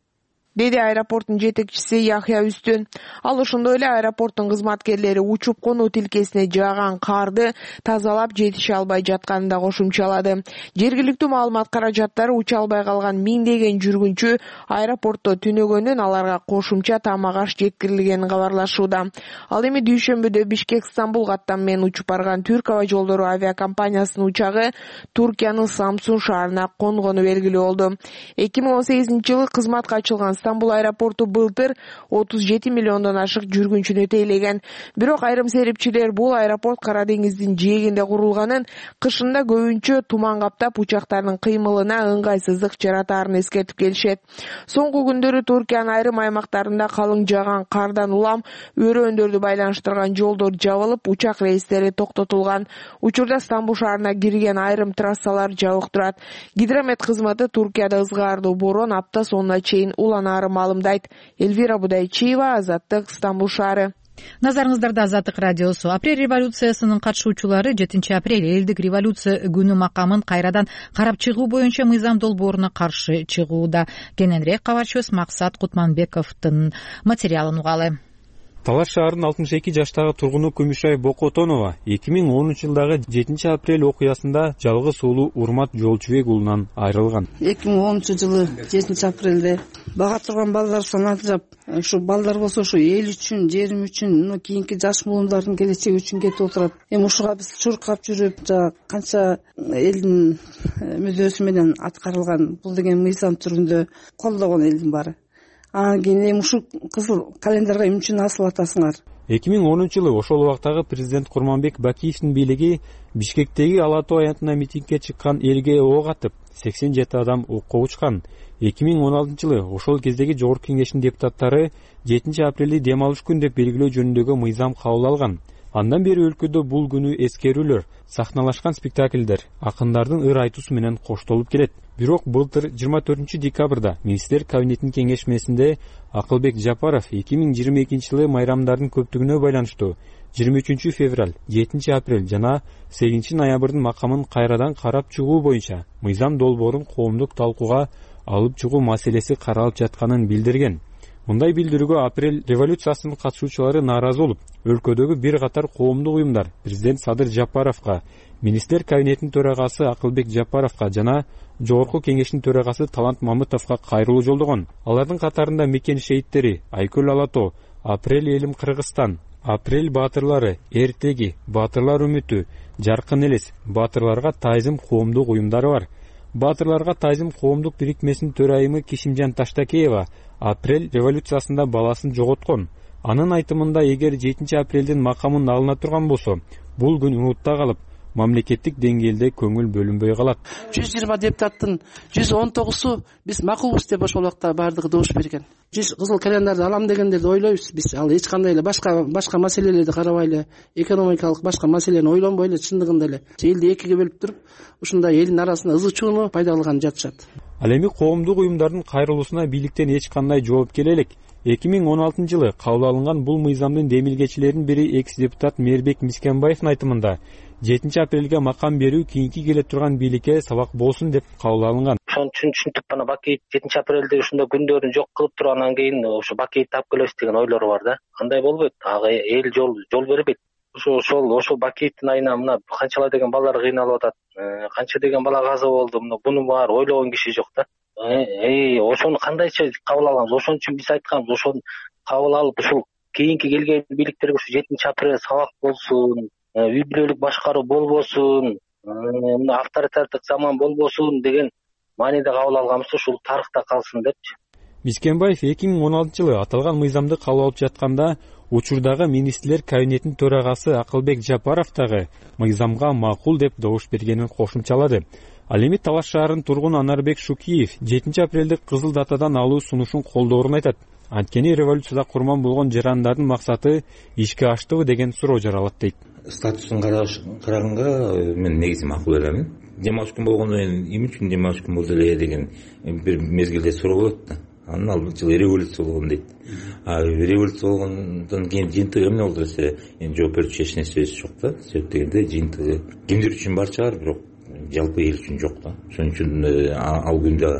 деди аэропорттун жетекчиси Яхья Үстүн. Ал ошондой эле аэропорттун кызматкерлери учуп конуу тилкесине жааган карды тазалап жетише албай жатканын да кошумчалады. Жергиликтүү маалымат каражаттары уча албай калган миңдеген жүргүнчү аэропортто түнөгөндөн аларга кошумча тамак аш жеткирилгенин кабарлашууда. Ал эми дүйшөмбүдө Бишкек-Стамбул каттам менен учуп барган Түрк аба жолдору авиакомпаниясынын учагы Туркиянын Самсун шаарына конгону белгилүү болду. эки миң он сегизинчи жылы кызматка ачылган Стамбул аэропорту былтыр отуз жети миллиондон ашык жүргүнчүнү тейлеген. Бирок айрым серепчилер бул аэропорт Кара деңиздин жээгинде курулганын, кышында көбүнчө туман каптап учактардын кыймылына ыңгайсыздык жаратаарын эскертип келишет. Соңку күндөрү Туркиянын айрым аймактарында калың жааган кардан улам өрөөндөрдү байланыштырган жолдор жабылып, учак рейстери токтотулган. Учурда Стамбул шаарына кирген айрым трассалар жабык турат. Гидромет кызматы Туркияда ызгаардуу борон апта сонуна чейин уланаары маалымдайт. Эльвира Будайчиева, Азаттык, Стамбул шаары. Назарыңыздарда Азаттык радиосу. Апрель революциясынын катышуучулары жетинчи апрель элдик революция күнү макамын кайрадан карап чыгуу боюнча мыйзам долбооруна каршы чыгууда. Кененирээк кабарчыбыз Максат Кутманбековдун материалын угалы. Талаш шаарынын алтымыш эки жаштагы тургуну Күмүшай Бокотонова эки миң онунчу жылдагы жетинчи апрель окуясында жалгыз уулу Урмат Жолчубек уулунан айрылган. эки миң онунчу жылы жетинчи апрелде бага турган балдар саны ажырап, ушу балдар болсо ушу эл үчүн, жерим үчүн, кийинки жаш муундардын келечеги үчүн кетип отурат. Эми ушуга биз чуркап жүрүп, жана канча элдин мүдөөсү менен аткарылган бул деген мыйзам түрүндө колдогон элдин баары. Анан кийин эми ушул кызыл календарга эмне үчүн асылып атасыңар? эки миң онунчу жылы ошол убактагы президент Курманбек Бакиевдин бийлиги Бишкектеги Ала Тоо аянтына митингге чыккан элге ок атып, сексен жети адам окко учкан. эки миң он алтынчы жылы ошол кездеги Жогорку Кеңештин депутаттары жетинчи апрелди дем алыш күн деп белгилөө жөнүндөгү мыйзам кабыл алган. Андан бери өлкөдө бул күнү эскерүүлөр, сахналашкан спектакльдер, акындардын ыр айтуусу менен коштолуп келет. Бирок былтыр жыйырма төртүнчү декабрда министрлер кабинетинин кеңешмесинде Акылбек Жапаров эки миң жыйырма экинчи жылы майрамдардын көптүгүнө байланыштуу жыйырма үчүнчү февраль, жетинчи апрель жана сегизинчи ноябрдын макамын кайрадан карап чыгуу боюнча мыйзам долбоорун коомдук талкууга алып чыгуу маселеси каралып жатканын билдирген. Мындай билдирүүгө апрель революциясынын катышуучулары нааразы болуп, өлкөдөгү бир катар коомдук уюмдар президент Садыр Жапаровго, министрлер кабинетинин төрагасы Акылбек Жапаровго жана Жогорку Кеңештин төрагасы Талант Мамытовго кайрылуу жолдогон. Алардын катарында Мекен шейиттери, Айкөл Алато, Апрель элим Кыргызстан, Апрель баатырлары, Эртеги, Баатырлар үмүтү, Жаркын элес, Баатырларга тайзым коомдук уюмдары бар. Баатырларга тайзым коомдук бирикмесинин төрайымы Кишимжан Таштакеева апрель революциясында баласын жоготкон. Анын айтымында, эгер жетинчи апрелдин макамын алына турган болсо, бул күн унутта калып, мамлекеттик деңгээлде көңүл бөлүнбөй калат. жүз жыйырма депутаттын жүз он тогузу биз макулбуз деп ошол убакта баардыгы добуш берген. жүз кызыл календарды алам дегендерди ойлойбуз биз. Ал эч кандай эле башка башка маселелерди карабай эле, экономикалык башка маселени ойлонбой эле, чындыгында эле элди экиге бөлүп туруп, ушундай элдин арасында ызы чууну пайда кылган жатышат. Ал эми коомдук уюмдардын кайрылуусуна бийликтен эч кандай жооп келе элек. эки миң он алтынчы жылы кабыл алынган бул мыйзамдын демилгечилеринин бири экс депутат Мээрбек Мискенбаевдин айтымында, жетинчи апрелге макам берүү кийинки келе турган бийликке сабак болсун деп кабыл алынган. Ошон үчүн түшүнтүп бана Бакиев жетинчи апрелде ушундай күндөрүн жок кылып тургандан кийин ошо Бакиевди таап келебиз деген ойлору бар да. Андай болбойт. Ага эл жол жол бербейт. Ошо ошол ошол Бакиевдин айына мына канчалар деген балдар кыйналып атат. Канча деген бала каза болду. Мына буну баары ойлогон киши жок да. Эй, ошону кандайча кабыл алганбыз? Ошон үчүн биз айтканбыз, ошону кабыл алып, ушул кийинки келген бийликтерге ушу жетинчи апрель сабак болсун, үй бүлөлүк башкаруу болбосун, мына авторитардык заман болбосун деген мааниде кабыл алганбыз, ушул тарыхта калсын депчи. Мискенбаев эки миң он алтынчы жылы аталган мыйзамды кабыл алып жатканда, учурдагы министрлер кабинетинин төрагасы Акылбек Жапаров дагы мыйзамга макул деп добуш бергенин кошумчалады. Ал эми Талаш шаарынын тургуну Анарбек Шукиев жетинчи апрелди кызыл датадан алуу сунушун колдоорун айтат. Анткени революцияда курман болгон жарандардын максаты ишке аштыбы деген суроо жаралат дейт. Статусун караганга мен негизи макул беремин. Дем алыш күн болгондон кийин эмне үчүн дем алыш күн болду эле деген бир мезгилде суроо болот да. Анын ал жылы революция болгон дейт. А революция болгондон кийин жыйынтыгы эмне болду десе, эми жооп берүүчү эч нерсебиз жок да. Себеп дегенде жыйынтыгы кимдир үчүн бар чыгар, бирок жалпы эл үчүн жок да. Ошон үчүн ал күндө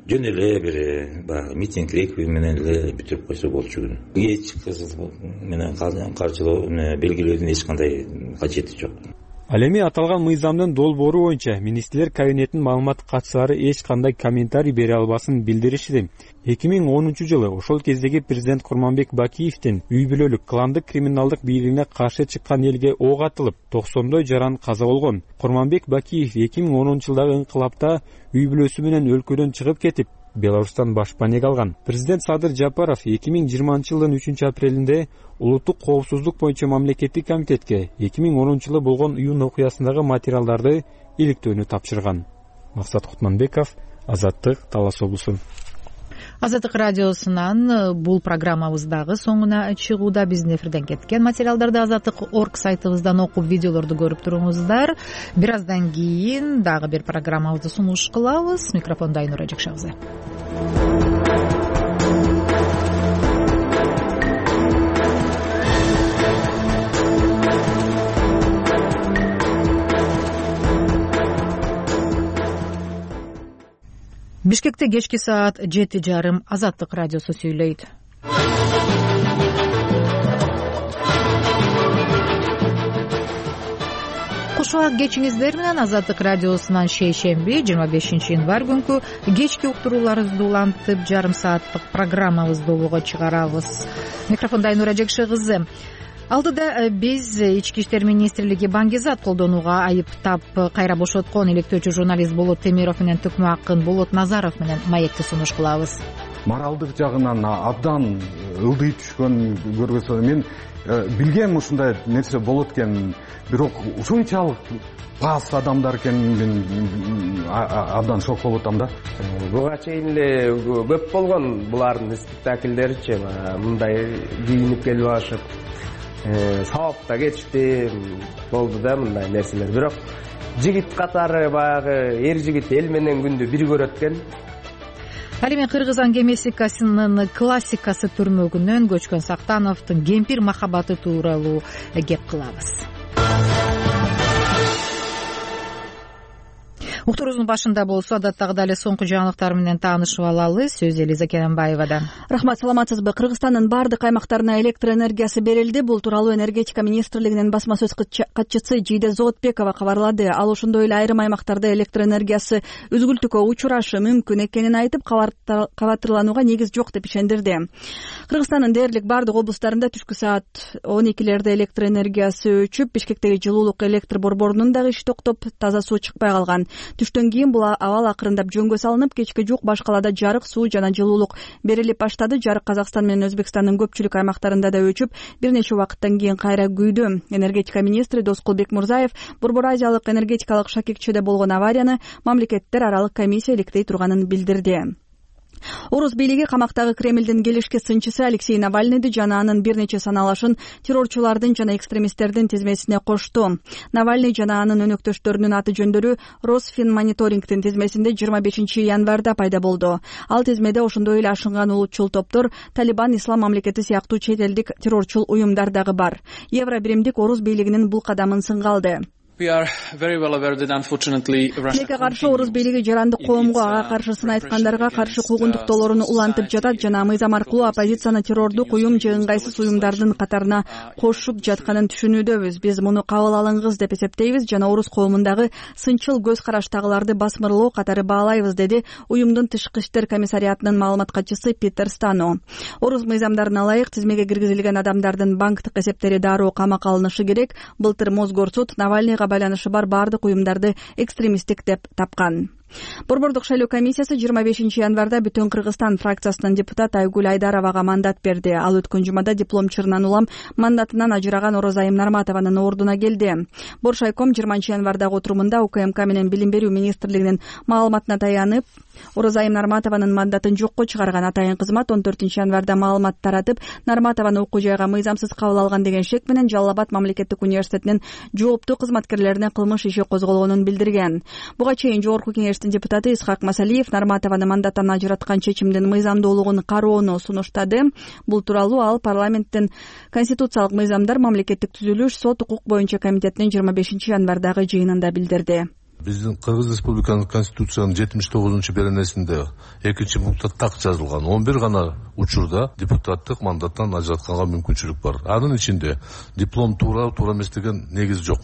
жөн эле бир баягы митинг реквием менен эле бүтүрүп койсо болчу күн. Кеч кызыл менен каршылоо белгилөөдүн эч кандай кажети жок. Ал эми аталган мыйзамдын долбоору боюнча министрлер кабинетинин маалымат катчылары эч кандай комментарий бере албасын билдиришти. эки миң онунчу жылы ошол кездеги президент Курманбек Бакиевдин үй бүлөлүк кландык криминалдык бийлигине каршы чыккан элге ок атылып, токсондой жаран каза болгон. Курманбек Бакиев эки миң онунчу жылдагы инкылапта үй бүлөсү менен өлкөдөн чыгып кетип, Беларустан башпанег алган. Президент Садыр Жапаров эки миң жыйырманчы жылдын үчүнчү апрелинде улуттук коопсуздук боюнча мамлекеттик комитетке эки миң онунчу жылы болгон уюн окуясындагы материалдарды иликтөөнү тапшырган. Максат Кутманбеков, Азаттык, Талас облусу. Азаттык радиосунан бул программабыздагы соңуна чыгууда биздин эфирден кеткен материалдарды азаттык точка орг сайтыбыздан окуп, видеолорду көрүп туруңуздар. Бир аздан кийин дагы бир программабызды сунуш кылабыз. Микрофондо Айнура Жекши кызы. Бишкекте кечки саат жети жарым Азаттык радиосу сүйлөйт. Кош убак кечиңиздер менен Азаттык радиосунан шейшемби жыйырма бешинчи январь күнкү кечки уктурууларыбызды улантып, жарым сааттык программабызды болууга чыгарабыз. Микрофондо Айнура Жекши кызы. Алдыда биз Ички иштер министрлиги баңгизат колдонууга айыптап кайра бошоткон иликтөөчү журналист Болот Темиров менен Төкмө Акын Болот Назаров менен маекти сунуш кылабыз. Моралдык жагынан абдан ылдый түшкөн көргөзсө мен билгем ушундай нерсе болот экен, бирок ушунчалык пас адамдар экенин мен абдан шок болуп атам да. Буга чейин эле көп болгон булардын спектакльдеричи, мындай кийинип келип алышып сабапта кетишти болду да мындай нерселер. Бирок жигит катары баягы эр жигит эл менен күндү бир көрөт экен. Ал эми Кыргызстан гимнастикасынын классикасы түрмөгүнөн көчкөн Сактановдун кемпир махабаты тууралуу кеп кылабыз. Уктуруубуздун башында болсо адаттагыдай эле соңку жаңылыктар менен таанышып алалы. Сөз Элиза Керенбаевадан. Рахмат, саламатсызбы? Кыргызстандын бардык аймактарына электр энергиясы берилди. Бул тууралуу энергетика министрлигинин басма сөз катчысы Жийде Зоотбекова кабарлады. Ал ошондой эле айрым аймактарда электр энергиясы үзгүлтүккө учурашы мүмкүн экенин айтып, кабатырланууга негиз жок деп ишендирди. Кыргызстандын дээрлик бардык облустарында түшкү саат он экилерде электр энергиясы өчүп, Бишкектеги жылуулук электр борборунун дагы иши токтоп, таза суу чыкпай калган. Түштөн кийин бул абал акырындап жөнгө салынып, кечки жук баш калаада жарык, суу жана жылуулук берилип баштады. Жарык Казакстан менен Өзбекстандын көпчүлүк аймактарында да өчүп, бир нече убакыттан кийин кайра күйдү. Энергетика министри Доскул Бекмурзаев Борбор Азиялык энергетикалык шакекчеде болгон аварияны мамлекеттер аралык комиссия иликтей турганын билдирди. Орус бийлиги камактагы Кремлдин келишке сынчысы Алексей Навальныйды жана анын бир нече саналашын террорчулардын жана экстремисттердин тизмесине кошту. Навальный жана анын өнөктөштөрүнүн аты жөндөрү Росфинмониторингдин тизмесинде жыйырма бешинчи январда пайда болду. Ал тизмеде ошондой эле ашынган улутчул топтор, Талибан, Ислам мамлекети сыяктуу чет элдик террорчул уюмдар дагы бар. Евро биримдик Орус бийлигинин бул кадамын сынга алды. Тилекке каршы Орус бийлиги жарандык коомго, ага каршы сын айткандарга каршы куугунтуктоолорун улантып жатат жана мыйзам аркылуу оппозицияны террордук уюм же ыңгайсыз уюмдардын катарына кошуп жатканын түшүнүүдөбүз. Биз муну кабыл алыңыз деп эсептейбиз жана Орус коомундагы сынчыл көз караштагыларды басмырлоо катары баалайбыз, деди уюмдун тышкы иштер комиссариатынын маалымат катчысы Питер Стано. Орус мыйзамдарына ылайык тизмеге киргизилген адамдардын банктык эсептери дароо камакка алынышы керек. Былтыр Мосгорсуд Навальныйга байланышы бар бардык уюмдарды экстремисттик деп тапкан. Борбордук шайлоо комиссиясы жыйырма бешинчи январда Бүтүн Кыргызстан фракциясынын депутаты Айгүл Айдаровага мандат берди. Ал өткөн жумада дипломчурунан улам мандатынан ажыраган Орозайым Нарматованын ордуна келди. Боршайком жыйырманчы январдагы отурумунда УКМК менен Билим берүү министрлигинин маалыматына таянып, Орозайым Нарматованын мандатын жокко чыгарган. Атайын кызмат он төртүнчү январда маалымат таратып, Нарматованы окуу жайга мыйзамсыз кабыл алган деген шек менен Жалал Абад мамлекеттик университетинин жооптуу кызматкерлерине кылмыш иши козголгонун билдирген. Буга чейин Жогорку кеңештин депутаты Исхак Масалиев Нарматованы мандаттан ажыраткан чечимдин мыйзамдуулугун кароону сунуштады. Бул тууралуу ал парламенттин конституциялык мыйзамдар, мамлекеттик түзүлүш, сот укук боюнча комитетинин жыйырма бешинчи январдагы жыйынында билдирди. биздин Кыргыз Республикасынын Конституциянын жетимиш тогузунчу беренесинде экинчи пунктта так жазылган он бир гана учурда депутаттык мандаттан ажыратканга мүмкүнчүлүк бар. Анын ичинде диплом туура туура эмес деген негиз жок,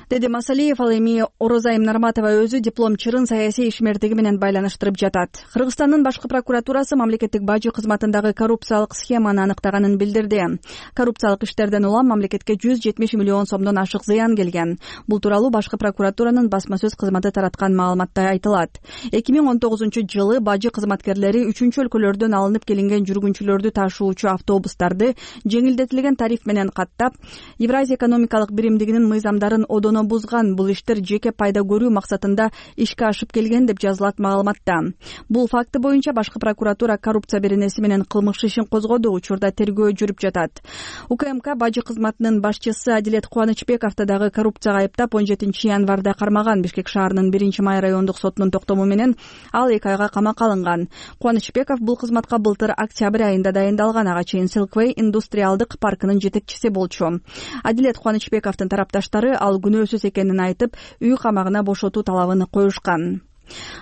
деди Масалиев. Ал эми Орозайым Нарматова өзү диплом чырын саясий ишмердиги менен байланыштырып жатат. Кыргызстандын башкы прокуратурасы мамлекеттик бажы кызматындагы коррупциялык схеманы аныктаганын билдирди. Коррупциялык иштерден улам мамлекетке жүз жетимиш миллион сомдон ашык зыян келген. Бул тууралуу башкы прокуратуранын басма сөз кызматы тараткан маалыматта айтылат. эки миң он тогузунчу жылы бажы кызматкерлери үчүнчү өлкөлөрдөн алынып келинген жүргүнчүлөрдү ташуучу автобустарды жеңилдетилген тариф менен каттап, Евразия экономикалык биримдигинин мыйзамдарын одоно бузган. Бул иштер жеке пайда көрүү максатында ишке ашып келген деп жазылат маалыматта. Бул факты боюнча башкы прокуратура коррупция беренеси менен кылмыш ишин козгоду. Учурда тергөө жүрүп жатат. УКМК бажы кызматынын башчысы Адилет Кубанычбековду дагы коррупцияга айыптап он жетинчи январда кармаган. Бишкек шаарынын биринчи май райондук сотунун токтому менен ал эки айга камакка алынган. Кубанычбеков бул кызматка былтыр октябрь айында дайындалган. Ага чейин Silkway индустриалдык паркынын жетекчиси болчу. Адилет Кубанычбековдун тарапташтары ал күнөөсүз экенин айтып, үй камагына бошотуу талабын коюшкан.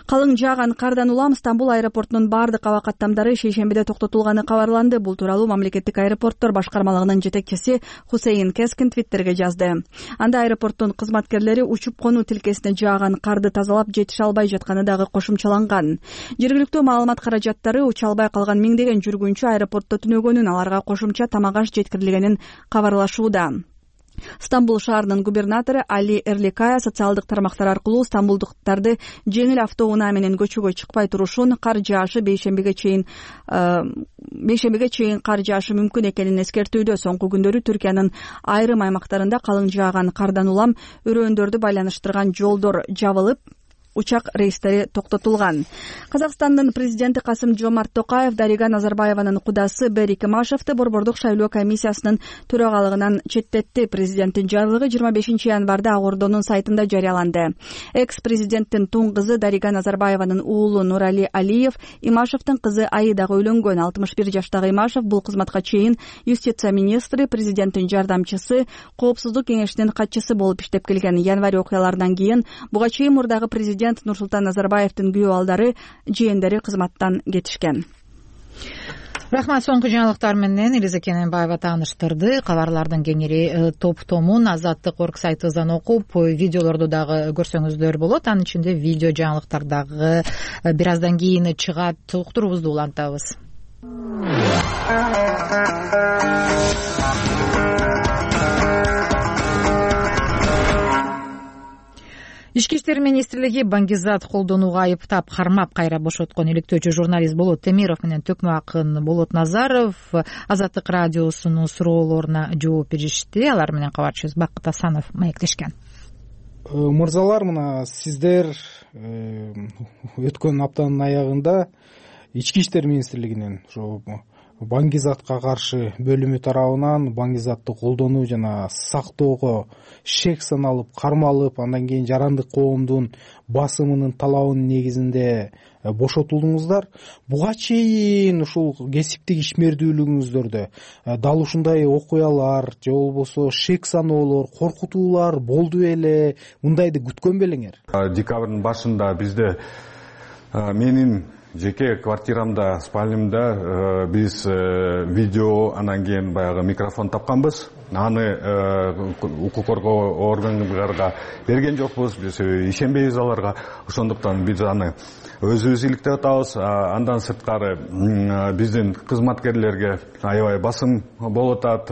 Калың жааган кардан улам Стамбул аэропортунун бардык аба каттамдары шейшембиде токтотулганы кабарланды. Бул тууралуу мамлекеттик аэропорттор башкармалыгынын жетекчиси Хусейин Кескин твиттерге жазды. Анда аэропорттун кызматкерлери учуп конуу тилкесине жааган карды тазалап жетише албай жатканы дагы кошумчаланган. Жергиликтүү маалымат каражаттары уча албай калган миңдеген жүргүнчү аэропортто түнөгөнүн, аларга кошумча тамак аш жеткирилгенин кабарлашууда. Стамбул шаарынын губернатору Али Эрликая социалдык тармактар аркылуу стамбулдуктарды жеңил автоунаа менен көчөгө чыкпай турушун, кар жаашы бейшембиге чейин бейшембиге чейин кар жаашы мүмкүн экенин эскертүүдө. Соңку күндөрү Түркиянын айрым аймактарында калың жааган кардан улам өрөөндөрдү байланыштырган жолдор жабылып, учак рейстери токтотулган. Казакстандын президенти Касым Жомарт Токаев Дарига Назарбаеванын кудасы Берик Имашевди Борбордук шайлоо комиссиясынын төрагалыгынан четтетти. Президенттин жарлыгы жыйырма бешинчи январда Ак Ордонун сайтында жарыяланды. Экс-президенттин туң кызы Дарига Назарбаеванын уулу Нурали Алиев Имашевдин кызы Аидага үйлөнгөн. алтымыш бир жаштагы Имашев бул кызматка чейин юстиция министри, президенттин жардамчысы, коопсуздук кеңешинин катчысы болуп иштеп келген. Январь окуяларынан кийин буга чейин мурдагы президент Нурсултан Назарбаевдин күйөө балдары, жээндери кызматтан кетишкен. Рахмат. Соңку жаңылыктар менен Элиза Кененбаева тааныштырды. Кабарлардын кеңири топтомун Азаттык орг сайтыбыздан окуп, видеолорду дагы көрсөңүздөр болот. Анын ичинде видео жаңылыктар дагы бир аздан кийин чыгат. Уктуруубузду улантабыз. Ички иштер министрлиги Баңгизат колдонууга айыптап кармап кайра бошоткон иликтөөчү журналист Болот Темиров менен Төкмө акын Болот Назаров Азаттык радиосунун суроолоруна жооп беришти. Алар менен кабарчыбыз Бакыт Асанов маектешкен. Мырзалар, мына сиздер өткөн аптанын аягында Ички иштер министрлигинин ошо Баңгизатка каршы бөлүмү тарабынан Баңгизатты колдонуу жана сактоого шек саналып, кармалып, андан кийин жарандык коомдун басымынын талабынын негизинде бошотулдуңуздар. Буга чейин ушул кесиптик ишмердүүлүгүңүздөрдө дал ушундай окуялар же болбосо шек саноолор, коркутуулар болду беле? Мындайды күткөн белеңер? Декабрдын башында бизде менин жеке квартирамда, спальнямда биз видео, анан кийин баягы микрофон тапканбыз. Аны укук коргоо органдарга берген жокпуз, биз ишенбейбиз аларга. Ошондуктан биз аны өзүбүз иликтеп атабыз. Андан сырткары биздин кызматкерлерге аябай басым болуп атат,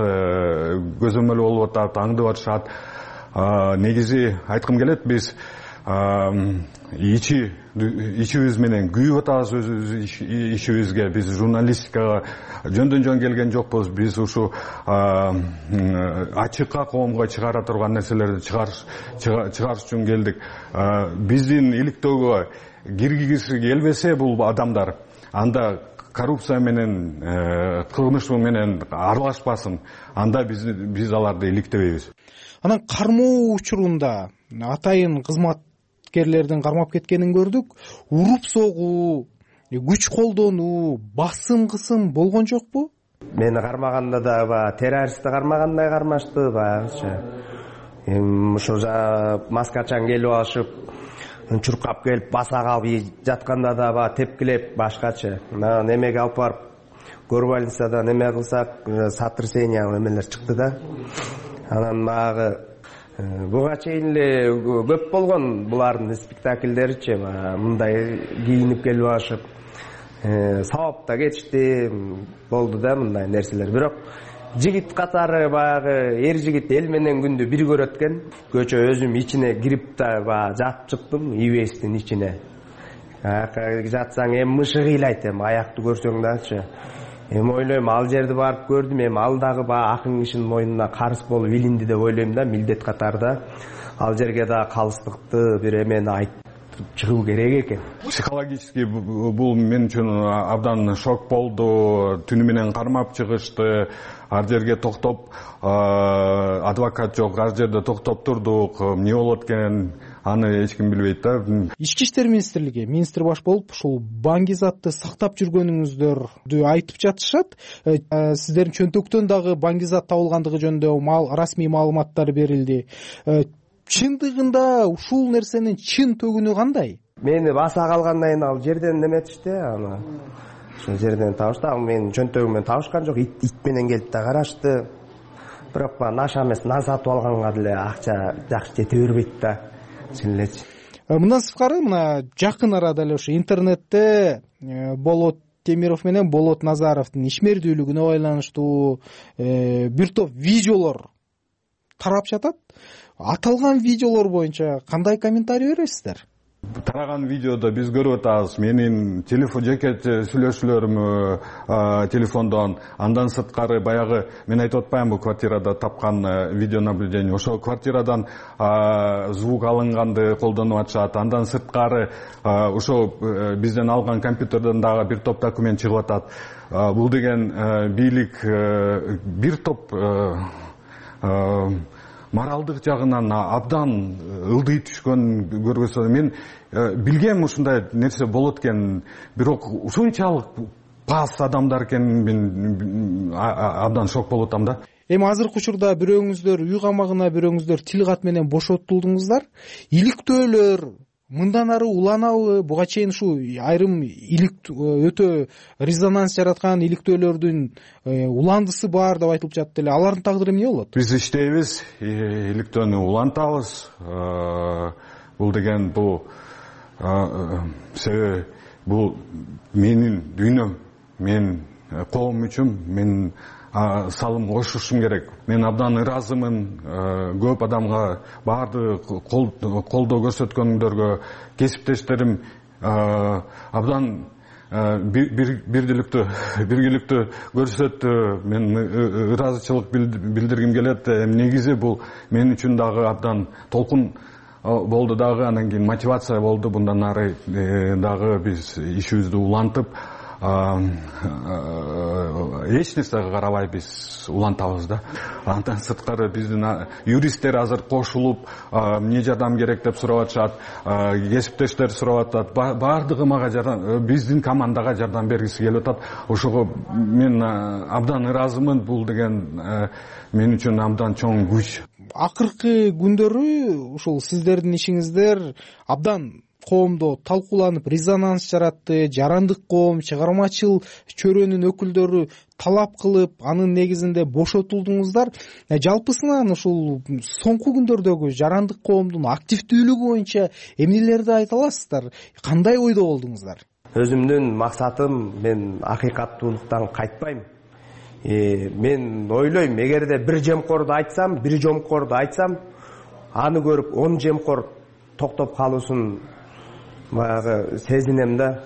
көзөмөл болуп атат, аңдып атышат. Негизи айткым келет, биз ичи ичибиз менен күйүп атабыз өз ишибизге. Биз журналистикага жөндөн жөн келген жокпуз. Биз ушу ачыкка коомго чыгара турган нерселерди чыгарыш үчүн келдик. Биздин иликтөөгө киргизгиси келбесе бул адамдар, анда коррупция менен, кылмыш менен аралашпасын. Анда биз биз аларды иликтебейбиз. Анан кармоо учурунда атайын кызматкерлердин кармап кеткенин көрдүк. Уруп согуу, күч колдонуу, басым кысым болгон жокпу? Мени кармаганда да террористти кармагандай кармашты, баягыча. эми ошо маскачан келип алышып чуркап келип баса калып жатканда да баягы тепкилеп башкача анан эмеге алып барып горбольницада неме кылсак сотрясение эмелер чыкты да. Анан баягы буга чейин эле көп болгон булардын спектакльдеричи мындай кийинип келип алышып сабапта кетишти болду да мындай нерселер. Бирок жигит катары баягы эр жигит эл менен күндү бир көрөт экен. Көчө өзүм ичине кирип да баягы жатып чыктым ибестин ичине. Жатсаң эми мышы кыйлайт, эми аякты көрсөң дачы. Эми ойлойм ал жерди барып көрдүм, эми ал дагы баягы акын кишинин мойнуна карыз болуп илинди деп ойлойм да, милдет катарда. Ал жерге да калыстыкты бир эмени айтып чыгуу керек экен. Психологически бул мен үчүн абдан шок болду. Түнү менен кармап чыгышты. Ар жерге токтоп, адвокат жок, ар жерде токтоп турдук. Эмне болот экен, аны эч ким билбейт да. Ички иштер министрлиги министр баш болуп ушул Баңгизатты сактап жүргөнүңүздөрдү айтып жатышат. Сиздердин чөнтөктөн дагы Баңгизат табылгандыгы жөнүндө расмий маалыматтар берилди. Чындыгында ушул нерсенин чын төгүнү кандай? Мени баса калгандан кийин ал жерден неметишти, аны ошол жерден табышты. Ал менин чөнтөгүмөн табышкан жок, ит менен келип да карашты. Бирок наша эмес, нан сатып алганга деле акча жакшы жете бербейт да. Чын элечи. Мындан сырткары мына жакын арада эле ошо интернетте Болот Темиров менен Болот Назаровдун ишмердүүлүгүнө байланыштуу бир топ видеолор тарап жатат. Аталган видеолор боюнча кандай комментарий бересиздер? Тараган видеодо биз көрүп атабыз менин телефон жеке сүйлөшүүлөрүм телефондон. Андан сырткары баягы мен айтып атпаймынбы квартирада тапкан видеонаблюдение. Ошол квартирадан звук алынганды колдонуп атышат. Андан сырткары ошол бизден алган компьютерден дагы бир топ документ чыгып атат. Бул деген бийлик бир топ моралдык жагынан абдан ылдый түшкөн көргөзсө мен билгем ушундай нерсе болот экен, бирок ушунчалык пас адамдар экен мен абдан шок болуп атам да. Эми азыркы учурда бирөөңүздөр үй камагына, бирөөңүздөр тил кат менен бошотулдуңуздар. Иликтөөлөр мындан ары уланабы? Буга чейин ушу айрым илик өтө резонанс жараткан иликтөөлөрдүн уландысы бар деп айтылып жатты эле. Алардын тагдыры эмне болот? Биз иштейбиз, иликтөөнү улантабыз. Бул деген бул себеби бул менин дүйнөм, мен коом үчүн мен салым кошушум керек. Мен абдан ыраазымын көп адамга, баардык колдоо көрсөткөндөргө, кесиптештерим абдан бирдиликтүү биргиликтүү көрсөттү. Мен ыраазычылык билдиргим келет. Негизи бул мен үчүн дагы абдан толкун болду дагы, анан кийин мотивация болду. Bundan ары дагы биз ишибизди улантып, эч нерсеге карабай биз улантабыз да. Андан сырткары биздин юристтер азыр кошулуп, эмне жардам керек деп сурап атышат, кесиптештер сурап атат. Баардыгы мага жардам, биздин командага жардам бергиси келип атат. Ошого мен абдан ыраазымын. Бул деген мен үчүн абдан чоң күч. Акыркы күндөрү ушул сиздердин ишиңиздер абдан коомдо талкууланып резонанс жаратты. Жарандык коом, чыгармачыл чөрөнүн өкүлдөрү талап кылып, анын негизинде бошотулдуңуздар. Жалпысынан ушул соңку күндөрдөгү жарандык коомдун активдүүлүгү боюнча эмнелерди айта аласыздар? Кандай ойдо болдуңуздар? Өзүмдүн максатым, мен акыйкаттуулуктан кайтпайм. Мен ойлойм, эгерде бир жемкорду айтсам, бир жомкорду айтсам, аны көрүп он жемкор токтоп калуусун баягы сезинем да.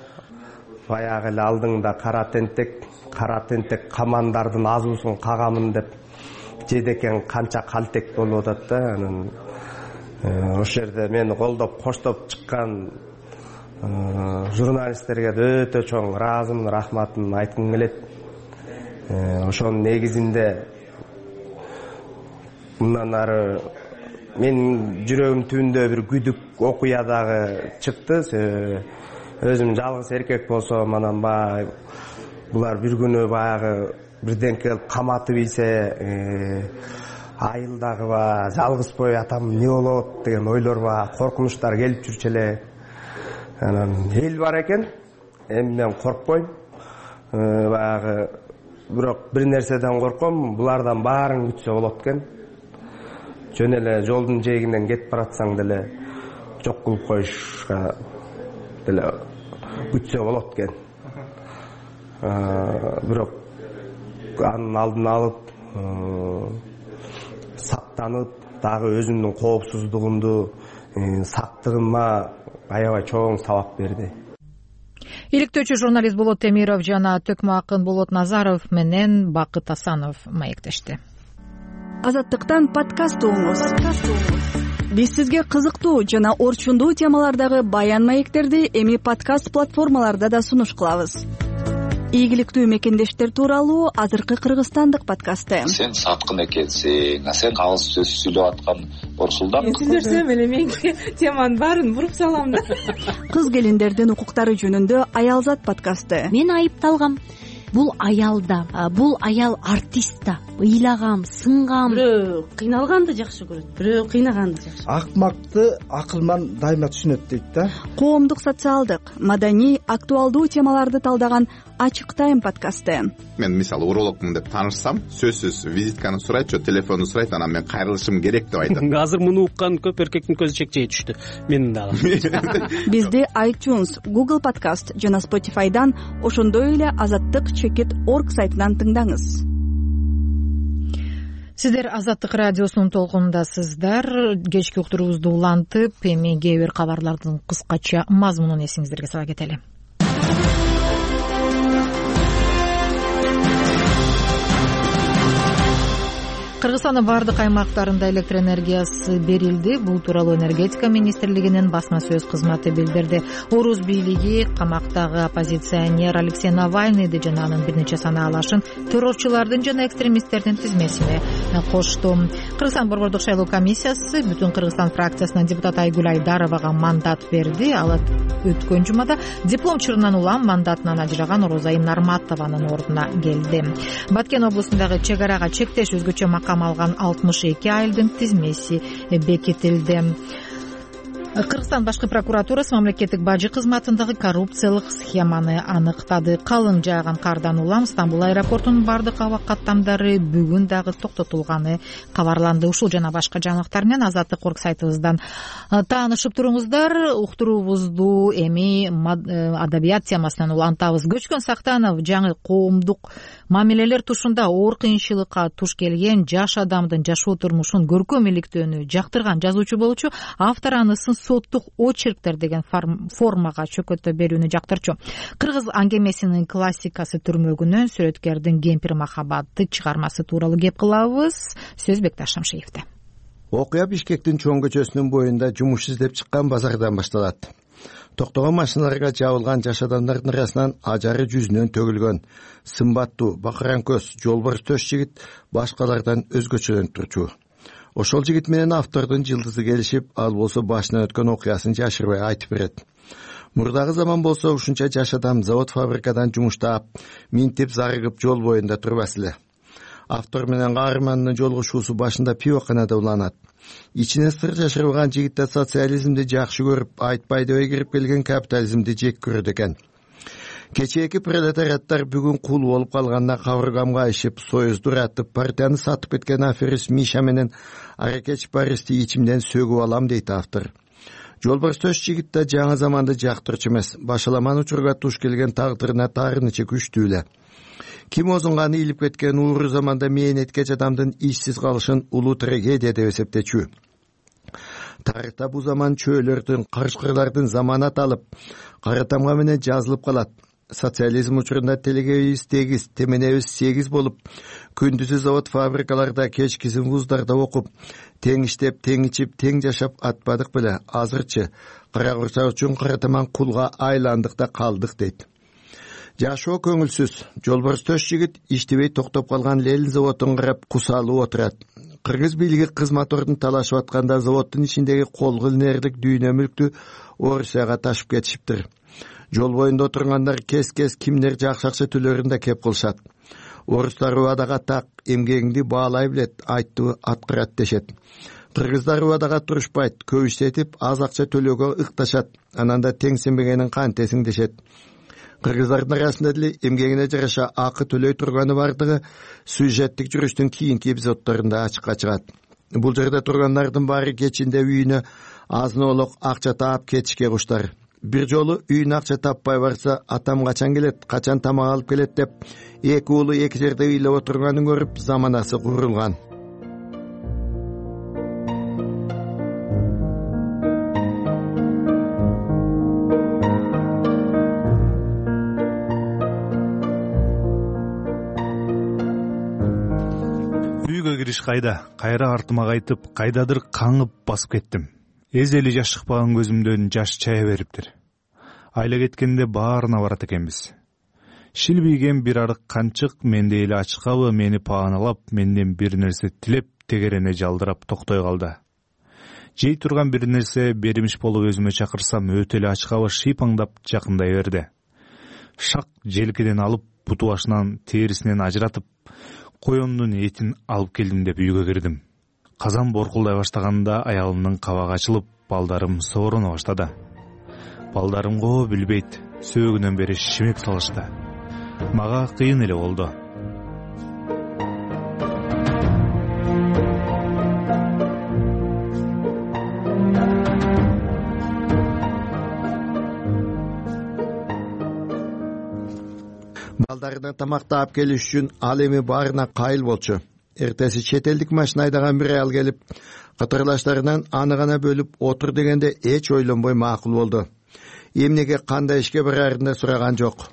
Баягы эле алдыңда кара тентек, кара тентек камандардын азуусун кагамын деп жедекен канча калтек болуп атат да. Анан ошол жерде мени колдоп, коштоп чыккан журналисттерге өтө чоң ыраазымын, рахматын айткым келет. Ошонун негизинде мындан ары менин жүрөгүм түбүндө бир күдүк окуя дагы чыкты. Өзүм жалгыз эркек болсом, анан баягы булар бир күнү баягы бирден келип каматып ийсе, айылдагыба жалгызбой атам эмне болот деген ойлор бар, коркунучтар келип жүрчү эле. Анан эл бар экен, эми мен коркпойм. Баягы бирок бир нерседен корком, булардан баарын күтсө болот экен. Жөн эле жолдун жээгинен кетип баратсаң деле жок кылып коюшка деле күтсө болот экен. Бирок анын алдын алып, сактанып, дагы өзүмдүн коопсуздугумду, сактыгыма аябай чоң сабак берди. Иликтөөчү журналист Болот Темиров жана төкмө акын Болот Назаров менен Бакыт Асанов маектешти. Азаттыктан подкаст угуңуз. Биз сизге кызыктуу жана орчундуу темалардагы баян маектерди эми подкаст платформаларда да сунуш кылабыз. Ийгиликтүү мекендештер тууралуу азыркы кыргызстандык подкасты. Сен саткын экенсиң, сен калыс сөз сүйлөп аткан Орсулдан. Мен сүйлөсөм эле менин теманын баарын буруп салам да. Кыз келиндердин укуктары жөнүндө Аялзат подкасты. Мен айыпталгам. Бул аял да, бул аял артист да. Ыйлагам, сынгам. Бирөө кыйналганды жакшы көрөт, бирөө кыйнаганды жакшы. Акмакты акылман дайыма түшүнөт дейт да. Коомдук, социалдык, маданий, актуалдуу темаларды талдаган Ачык тайм подкасты. Мен мисалы урологмун деп таанышсам, сөзсүз визитканы сурайт, же телефонду сурайт, анан мен кайрылышым керек деп айтам. Азыр муну уккан көп эркектин көзү чекчей түштү. Менин дагы. Бизди iTunes, Google Podcast жана Spotify'дан, ошондой эле азаттык чекит точка орг сайтынан тыңдаңыз. Сиздер Азаттык радиосунун толкунундасыздар. Кечки уктуруубузду улантып, эми кээ бир кабарлардын кыскача мазмунун эсиңиздерге сала кетели. Кыргызстандын бардык аймактарында электр энергиясы берилди. Бул тууралуу энергетика министрлигинин басма сөз кызматы билдирди. Орус бийлиги камактагы оппозиционер Алексей Навальныйды жана анын бир нече санаалашын террорчулардын жана экстремисттердин тизмесине кошту. Кыргызстан борбордук шайлоо комиссиясы Бүтүн Кыргызстан фракциясынын депутаты Айгүл Айдаровага мандат берди. Ал өткөн жумада диплом чырынан улам мандатынан ажыраган Орозайым Нарматованын ордуна келди. Баткен облусундагы чек арага чектеш өзгөчө макам алган алтымыш эки айылдын тизмеси бекитилди. Кыргызстан башкы прокуратурасы мамлекеттик бажы кызматындагы коррупциялык схеманы аныктады. Калың жааган кардан улам Стамбул аэропортунун бардык аба каттамдары бүгүн дагы токтотулганы кабарланды. Ушул жана башка жаңылыктар менен Азаттык орг сайтыбыздан таанышып туруңуздар. Уктуруубузду эми адабият темасынан улантабыз. Көчкөн Сактанов жаңы коомдук мамилелер тушунда оор кыйынчылыкка туш келген жаш адамдын жашоо турмушун көркөм иликтөөнү жактырган жазуучу болчу. Автор анысын соттук очерктер деген формага чөкөтө берүүнү жактырчу. Кыргыз аңгемесинин классикасы түрмөгүнөн сүрөткердин Кемпир махабаты чыгармасы тууралуу кеп кылабыз. Сөз Бекташ Шамшиевде. Окуя Бишкектин чоң көчөсүнүн боюнда жумуш издеп чыккан базардан башталат. Токтогон машиналарга жабылган жаш адамдардын арасынан ажары жүзүнөн төгүлгөн сымбаттуу бакыран көз жолборс төш жигит башкалардан өзгөчөлөнүп турчу. Ошол жигит менен автордун жылдызы келишип, ал болсо башынан өткөн окуясын жашырбай айтып берет. Мурдагы заман болсо ушунча жаш адам завод фабрикадан жумуштап, минтип зарыгып жол боюнда турбас эле. Автор менен каармандын жолугушуусу башында пивоканада уланат. Ичине сыр жашырылган жигитте социализмди жакшы көрүп, айтпай дебей кирип келген капитализмди жек көрөт экен. Кечээки пролетариаттар бүгүн кул болуп калганда кабыргамга ишип, союзду ратып, партияны сатып кеткен аферист Миша менен аракеч Бористи ичимден сөгүп алам дейт автор. Жолборс төш жигит да жаңы заманды жактырчу эмес, башаламан учурга туш келген тагдырына таарынычы күчтүү эле. Ким озунганы илип кеткен ууру заманда мээнеткеч адамдын ишсиз калышын улуу трагедия деп эсептечү. Тарыхта бул заман чөөлөрдүн, карышкырлардын заманат алып, кара тамга менен жазылып калат. Социализм учурунда телегебиз тегиз, теменебиз сегиз болуп, күндүзү завод фабрикаларда, кечкисин вуздарда окуп, тең иштеп, тең ичип, тең жашап атпадык беле. Азырчы кара курса үчүн кара таман кулга айландык да калдык дейт. Жашоо көңүлсүз. Жолборс төш жигит иштебей токтоп калган Ленин заводун карап кусалып отурат. Кыргыз бийлиги кызмат ордун талашып атканда заводдун ичиндеги колгулнердик дүйнө мүлктү Орусияга ташып кетишиптир. Жол боюнда отургандар кес-кес кимдер жакшы акча төлөрүн да кеп кылышат. Орустар убадага так, эмгегиңди баалай билет, айтты аткарат дешет. Кыргыздар убадага турушпайт, көп иштетип аз акча төлөөгө ыкташат, анан да теңсенбегенин кантесиң дешет. Кыргыздардын арасында деле эмгегине жараша акы төлөй турганы бардыгы сюжеттик жүрүштүн кийинки эпизоддорунда ачыкка чыгат. Бул жерде тургандардын баары кечинде үйүнө азын-олок акча таап кетишке куштар. Бир жолу үйүнө акча таппай барса, атам качан келет, качан тамак алып келет деп эки уулу эки жерде ыйлап отурганын көрүп заманасы курулган. Үйгө кириш кайда, кайра артыма кайтып, кайдадыр каңып басып кеттим. Эзели жаш чыкпаган көзүмдөн жаш чая бериптир. Айла кеткенде баарына барат экенбиз. Шилбийген бир арык канчык менде эле ачкабы мени пааналап, менден бир нерсе тилеп, тегерене жалдырап токтой калды. Жей турган бир нерсе беримиш болуп өзүмө чакырсам, өтө эле ачкабы шыйпаңдап жакындай берди. Шак желкеден алып, буту башынан, терисинен ажыратып, коёндун этин алып келдим деп үйгө кирдим. Казан боркулдай баштаганда аялымдын кабагы ачылып, балдарым сооруна баштады. Балдарым го билбейт, сөөгүнөн бери шимек салышты. Мага кыйын эле болду. Балдарына тамак таап келиш үчүн ал эми баарына кайыл болчу. Эртеси чет элдик машина айдаган бир аял келип, катарлаштарынан аны гана бөлүп отур дегенде эч ойлонбой макул болду. Эмнеге кандай ишке барарын да сураган жок.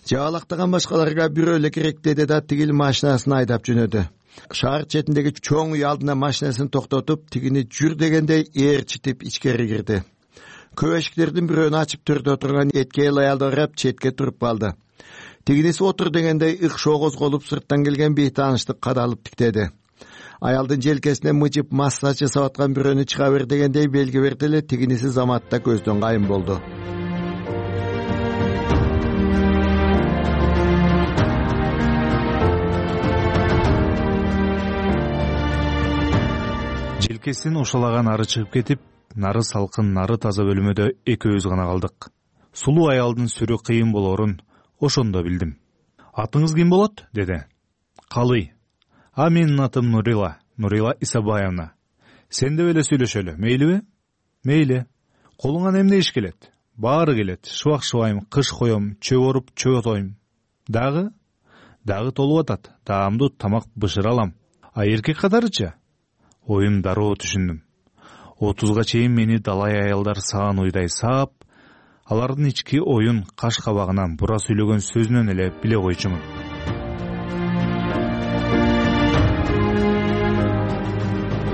Жаалактаган башкаларга бирөө эле керек деди да тигил машинасын айдап жөнөдү. Шаар четиндеги чоң үй алдына машинасын токтотуп, тигини жүр дегенде ээрчитип ичкери кирди. Көп эшиктердин бирөөнү ачып төрдө отурган эткел аялды карап четке туруп калды. Тигиниси отур дегендей ыкшоо козголуп, сырттан келген бейтаанышты кадалып тиктеди. Аялдын желкесине мыжып массаж жасап аткан бирөөнү чыга бер дегендей белги берди эле, тигиниси заматта көздөн кайын болду. Желкесин ошолаган ары чыгып кетип, нары салкын, нары таза бөлмөдө экөөбүз гана калдык. Сулуу аялдын сүрү кыйын болорун ошондо билдим. Атыңыз ким болот? Деди. Калый. А менин атым Нурила, Нурила Исабаевна. Сен деп эле сүйлөшөлү, мейлиби? Мейли. Колуңан эмне иш келет? Баары келет. Шыбак шыбайм, кыш коем, чөп оруп, чөп отойм. Дагы? Дагы толуп атат. Даамдуу тамак бышыра алам. А эркек катарычы? Оюм дароо түшүндүм. Отузга чейин мени далай аялдар саан уйдай саап, алардын ички оюн каш кабагынан, бура сүйлөгөн сөзүнөн эле биле койчумун.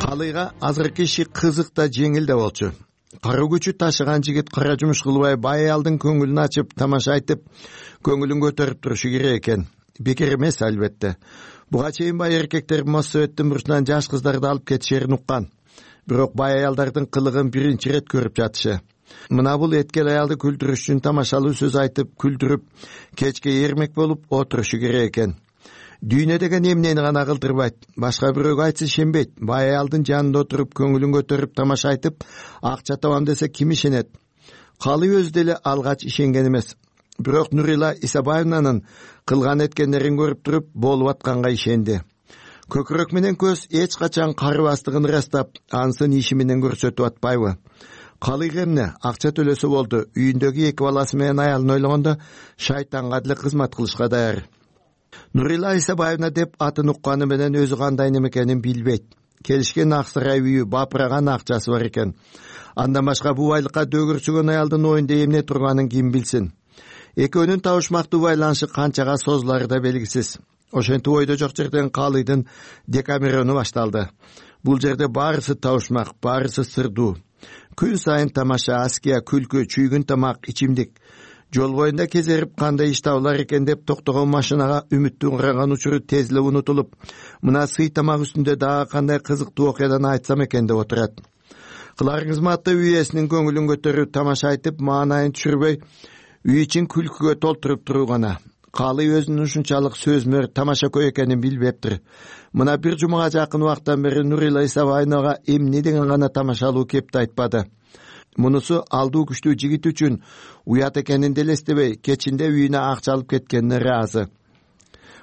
Калыйга азыркы иши кызык да жеңил да болчу. Кара күчү ташыган жигит кара жумуш кылбай, бай аялдын көңүлүн ачып, тамаша айтып, көңүлүн көтөрүп турушу керек экен. Бекер эмес албетте. Буга чейин бай эркектер Моссоветтин бурчунан жаш кыздарды алып кетишерин уккан. Бирок бай аялдардын кылыгын биринчи ирет көрүп жатышы. Мына бул эткел аялды күлдүрүш үчүн тамашалуу сөз айтып, күлдүрүп, кечке эрмек болуп отурушу керек экен. Дүйнө деген эмнени гана кылдырбайт, башка бирөөгө айтса ишенбейт. Бай аялдын жанында отуруп, көңүлүн көтөрүп, тамаша айтып, акча табам десе ким ишенет? Калый өзү деле алгач ишенген эмес. Бирок Нурила Исабаевнанын кылган эткендерин көрүп туруп, болуп атканга ишенди. Көкүрөк менен көз эч качан карыбастыгын ырастап, ансын иши менен көрсөтүп атпайбы? Калый эмне, акча төлөсө болду. Үйүндөгү эки баласы менен аялын ойлогондо шайтанга деле кызмат кылышка даяр. Нурила Исабаевна деп атын укканы менен өзү кандай неме экенин билбейт. Келишкен Аксарай үйү, бапыраган акчасы бар экен. Андан башка бул байлыкка дөгөрчүгөн аялдын оюнда эмне турганын ким билсин? Экөөнүн табышмактуу байланышы канчага созулары да белгисиз. Ошентип ойдо жок жерден Калыйдын Декамерону башталды. Бул жерде баарысы табышмак, баарысы сырдуу. Күн сайын тамаша, аския, күлкү, чүйгүн тамак, ичимдик. Жол боюнда кезерип кандай иш табылар экен деп токтогон машинага үмүттүн караган учуру тез эле унутулуп, мына сый тамак үстүндө дагы кандай кызыктуу окуядан айтсам экен деп отурат. Кыларыңыз матты үй ээсинин көңүлүн көтөрүп, тамаша айтып, маанайын түшүрбөй, үй ичин күлкүгө толтуруп туруу гана. Калый өзүнүн ушунчалык сөзмөр тамашакөй экенин билбептир. Мына бир жумага жакын убакыттан бери Нурила Исабаевнага эмне деген гана тамашалуу кепти айтпады. Мунусу алдуу күчтүү жигит үчүн уят экенин делестебей, кечинде үйүнө акча алып кеткенине ыраазы.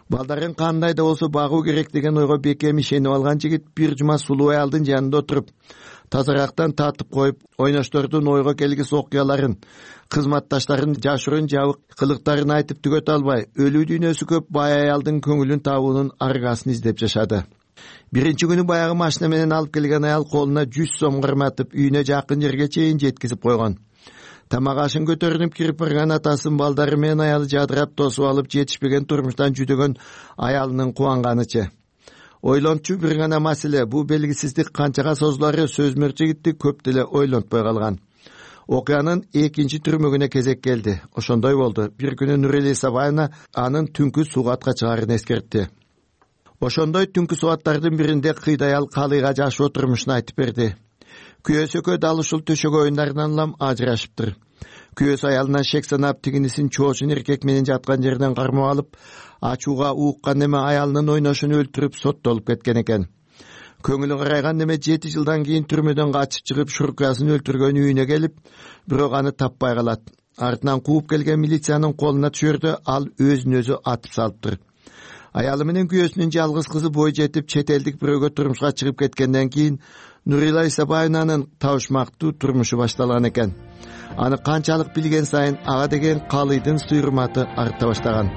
Балдарын кандай да болсо багуу керек деген ойго бекем ишенип алган жигит бир жума сулуу аялдын жанында отуруп, тазарактан татып коюп, ойноштордун ойго келгис окуяларын, кызматташтарын жашырын жабык кылыктарын айтып түгөтө албай, өлүү дүйнөсү көп бай аялдын көңүлүн табуунун аргасын издеп жашады. Биринчи күнү баягы машина менен алып келген аял колуна жүз сом карматып, үйүнө жакын жерге чейин жеткизип койгон. Тамак ашын көтөрүнүп кирип барган атасын балдары менен аялы жадырап тосуп алып, жетишпеген турмуштан жүдөгөн аялынын кубанганычы. Ойлончу бир гана маселе, бул белгисиздик канчага созулары сөзмөр жигитти көп деле ойлонтпой калган. Окуянын экинчи түрмөгүнө кезек келди. Ошондой болду. Бир күнү Нурила Исабаевна анын түнкү сугатка чыгарын эскертти. Ошондой түнкү сугаттардын биринде кыйда аял Калыйга жашоо турмушун айтып берди. Күйөөсү экөө дал ушул төшөгө оюндарынан улам ажырашыптыр. Күйөөсү аялынан шек санап, тигинисин чоочун эркек менен жаткан жерден кармап алып, ачууга ууккан неме аялынын ойношун өлтүрүп соттолуп кеткен экен. Көңүлү карайган неме жети жылдан кийин түрмөдөн качып чыгып, шуркасын өлтүргөн үйүнө келип, бирок аны таппай калат. Артынан кууп келген милициянын колуна түшөрдө ал өзүн өзү атып салыптыр. Аялы менен күйөөсүнүн жалгыз кызы бой жетип, чет элдик бирөөгө турмушка чыгып кеткенден кийин Нурила Исабаевнанын табышмактуу турмушу башталган экен. Аны канчалык билген сайын ага деген Калыйдын суйрматы арта баштаган.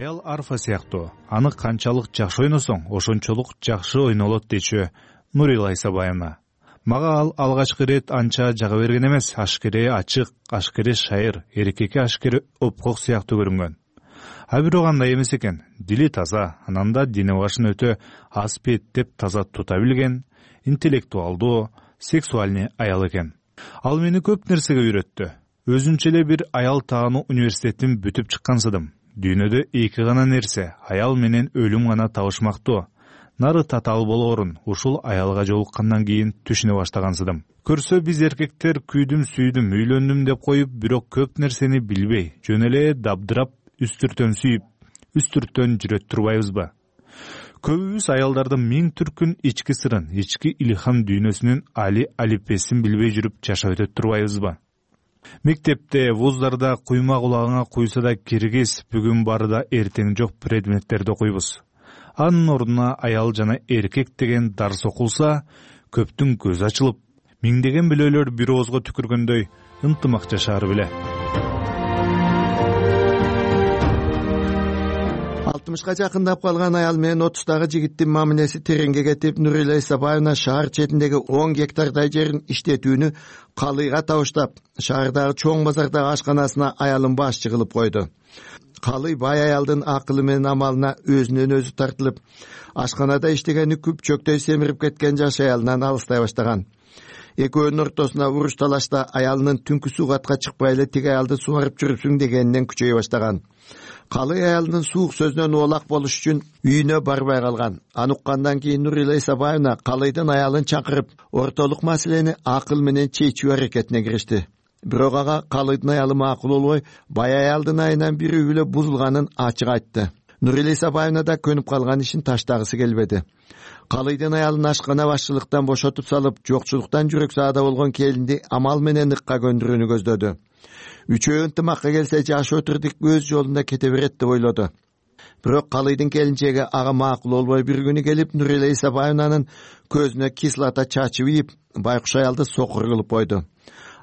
Аял арфа сыяктуу, аны канчалык жакшы ойносоң, ошончолук жакшы ойнолот дечү Нурила Исабаевна. Мага ал алгачкы ирет анча жага берген эмес. Ашкере ачык, ашкере шайыр, эркекке ашкере опкок сыяктуу көрүнгөн. А бирок андай эмес экен. Дили таза, ананда дине башын өтө аспеттеп таза тута билген, интеллектуалдуу, сексуальный аял экен. Ал мени көп нерсеге үйрөттү. Өзүнчө эле бир аял таануу университетин бүтүп чыккансыдым. Дүйнөдө эки гана нерсе, аял менен өлүм гана табышмактуу. Нары татаал болоорун ушул аялга жолуккандан кийин түшүнө баштагансыдым. Көрсө биз эркектер күйдүм, сүйдүм, үйлөндүм деп коюп, бирок көп нерсени билбей, жөн эле дабдырап, үстүртөн сүйүп, үстүртөн жүрөт турбайбызбы? Көбүбүз аялдардын миң түркүн ички сырын, ички илхам дүйнөсүнүн али алипесин билбей жүрүп жашап өтөт турбайбызбы? Мектепте, вуздарда куйма кулагыңа куйса да киргиз, бүгүн бары да эртең жок предметтерди окуйбуз. Анын ордуна аял жана эркек деген дарс окулса, көптүн көзү ачылып, миңдеген билөөлөр бир оозго түкүргөндөй ынтымак жашаар беле. алтымышка жакындап калган аял менен отуздагы жигиттин мамилеси тереңге кетип, Нурила Исабаевна шаар четиндеги он гектардай жерин иштетүүнү Калыйга табыштап, шаардагы чоң базардагы ашканасына аялын башчы кылып койду. Калый бай аялдын акылы менен амалына өзүнөн өзү тартылып, ашканада иштегени күп чөктөй семирип кеткен жаш аялынан алыстай баштаган. Экөөнүн ортосуна уруш талашта аялынын түнкү сугатка чыкпай эле тиги аялды сугарып жүрүпсүң дегенинен күчөй баштаган. Калый аялдын суук сөзүнөн оолак болуш үчүн үйүнө барбай калган. Аны уккандан кийин Нурила Исабаевна Калыйдын аялын чакырып, ортолук маселени акыл менен чечүү аракетине киришти. Бирок ага Калыйдын аялы макул болбой, бай аялдын айынан бир үй бүлө бузулганын ачык айтты. Нурила Исабаевна да көнүп калган ишин таштагысы келбеди. Калыйдын аялын ашкана башчылыктан бошотуп салып, жокчулуктан жүрөк саада болгон келинди амал менен ыкка көндүрүүнү көздөдү. Үчөө ынтымакка келсе жашоо тирдик өз жолунда кете берет деп ойлоду. Бирок Калыйдын келинчеги ага макул болбой, бир күнү келип Нурила Исабаевнанын көзүнө кислота чачып ийип, байкуш аялды сокур кылып койду.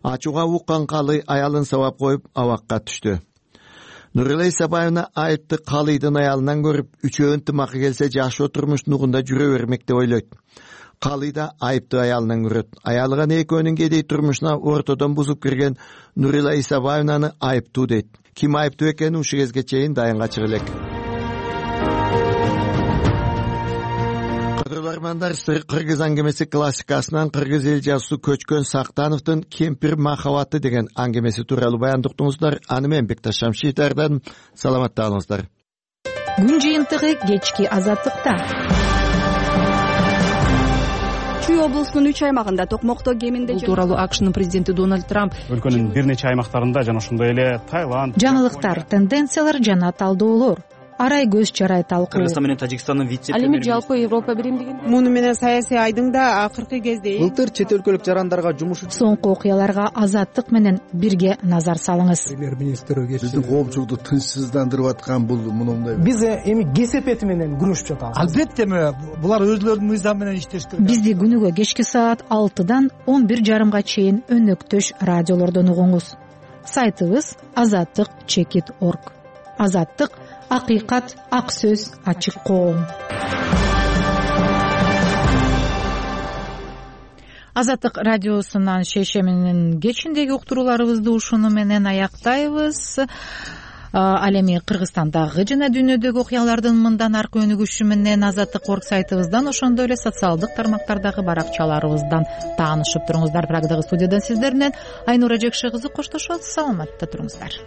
Ачууга уккан Калый аялын сабап коюп абакка түштү. Нурила Исабаевна айыпты Калыйдын аялынан көрүп, үчөө ынтымакка келсе жашоо турмуш нугунда жүрө бермек деп ойлойт. Калый да айыпты аялынан көрөт. Аялыган экөөнүн кедей турмушуна ортодон бузуп кирген Нурила Исабаевнаны айыптуу дейт. Ким айыптуу экенин ушул кезге чейин дайынга чыга элек. Кыргыздар Кыргыз аңгемеси классикасынан кыргыз эл жазуусу Көчкөн Сактановдун Кемпир махабаты деген аңгемеси тууралуу баяндыктыңыздар. Аны мен Бекташ Шамшитардан. Саламатта болуңуздар. Күн жыйынтыгы кечки азаттыкта. чүй облусунун үч аймагында токмокто кеминде бул тууралуу акшнын президенти Дональд Трамп өлкөнүн бир нече аймактарында жана ошондой эле Таиланд жаңылыктар, тенденциялар жана талдоолор, арай көз чарай талкуу. Кыргызстан менен Тажикстандын вице ал эми жалпы Европа биримдигин муну менен саясий айдың да акыркы кезде былтыр чет өлкөлүк жарандарга жумуш соңку окуяларга Азаттык менен бирге назар салыңыз. Премьер-министр биздин коомчулукту тынчсыздандырып аткан бул мындай биз эми кесепети менен күрөшүп жатабыз. Албетте булар өзлөрүнүн мыйзамы менен иштеш керек. Бизди күнүгө кечки саат алтыдан он бир жарымга чейин өнөктөш радиолордон угуңуз. Сайтыбыз азаттык чекит орг. Азаттык акыйкат, ак сөз, ачык коом. Азаттык радиосунан шейшеминин кечиндеги уктурууларыбызды ушуну менен аяктайбыз. Ал эми Кыргызстандагы жана дүйнөдөгү окуялардын мындан аркы өнүгүшү менен азаттык орг сайтыбыздан, ошондой эле социалдык тармактардагы баракчаларыбыздан таанышып туруңуздар. Прагдагы студиядан сиздер менен Айнура Жекше кызы коштошот. Саламатта туруңуздар.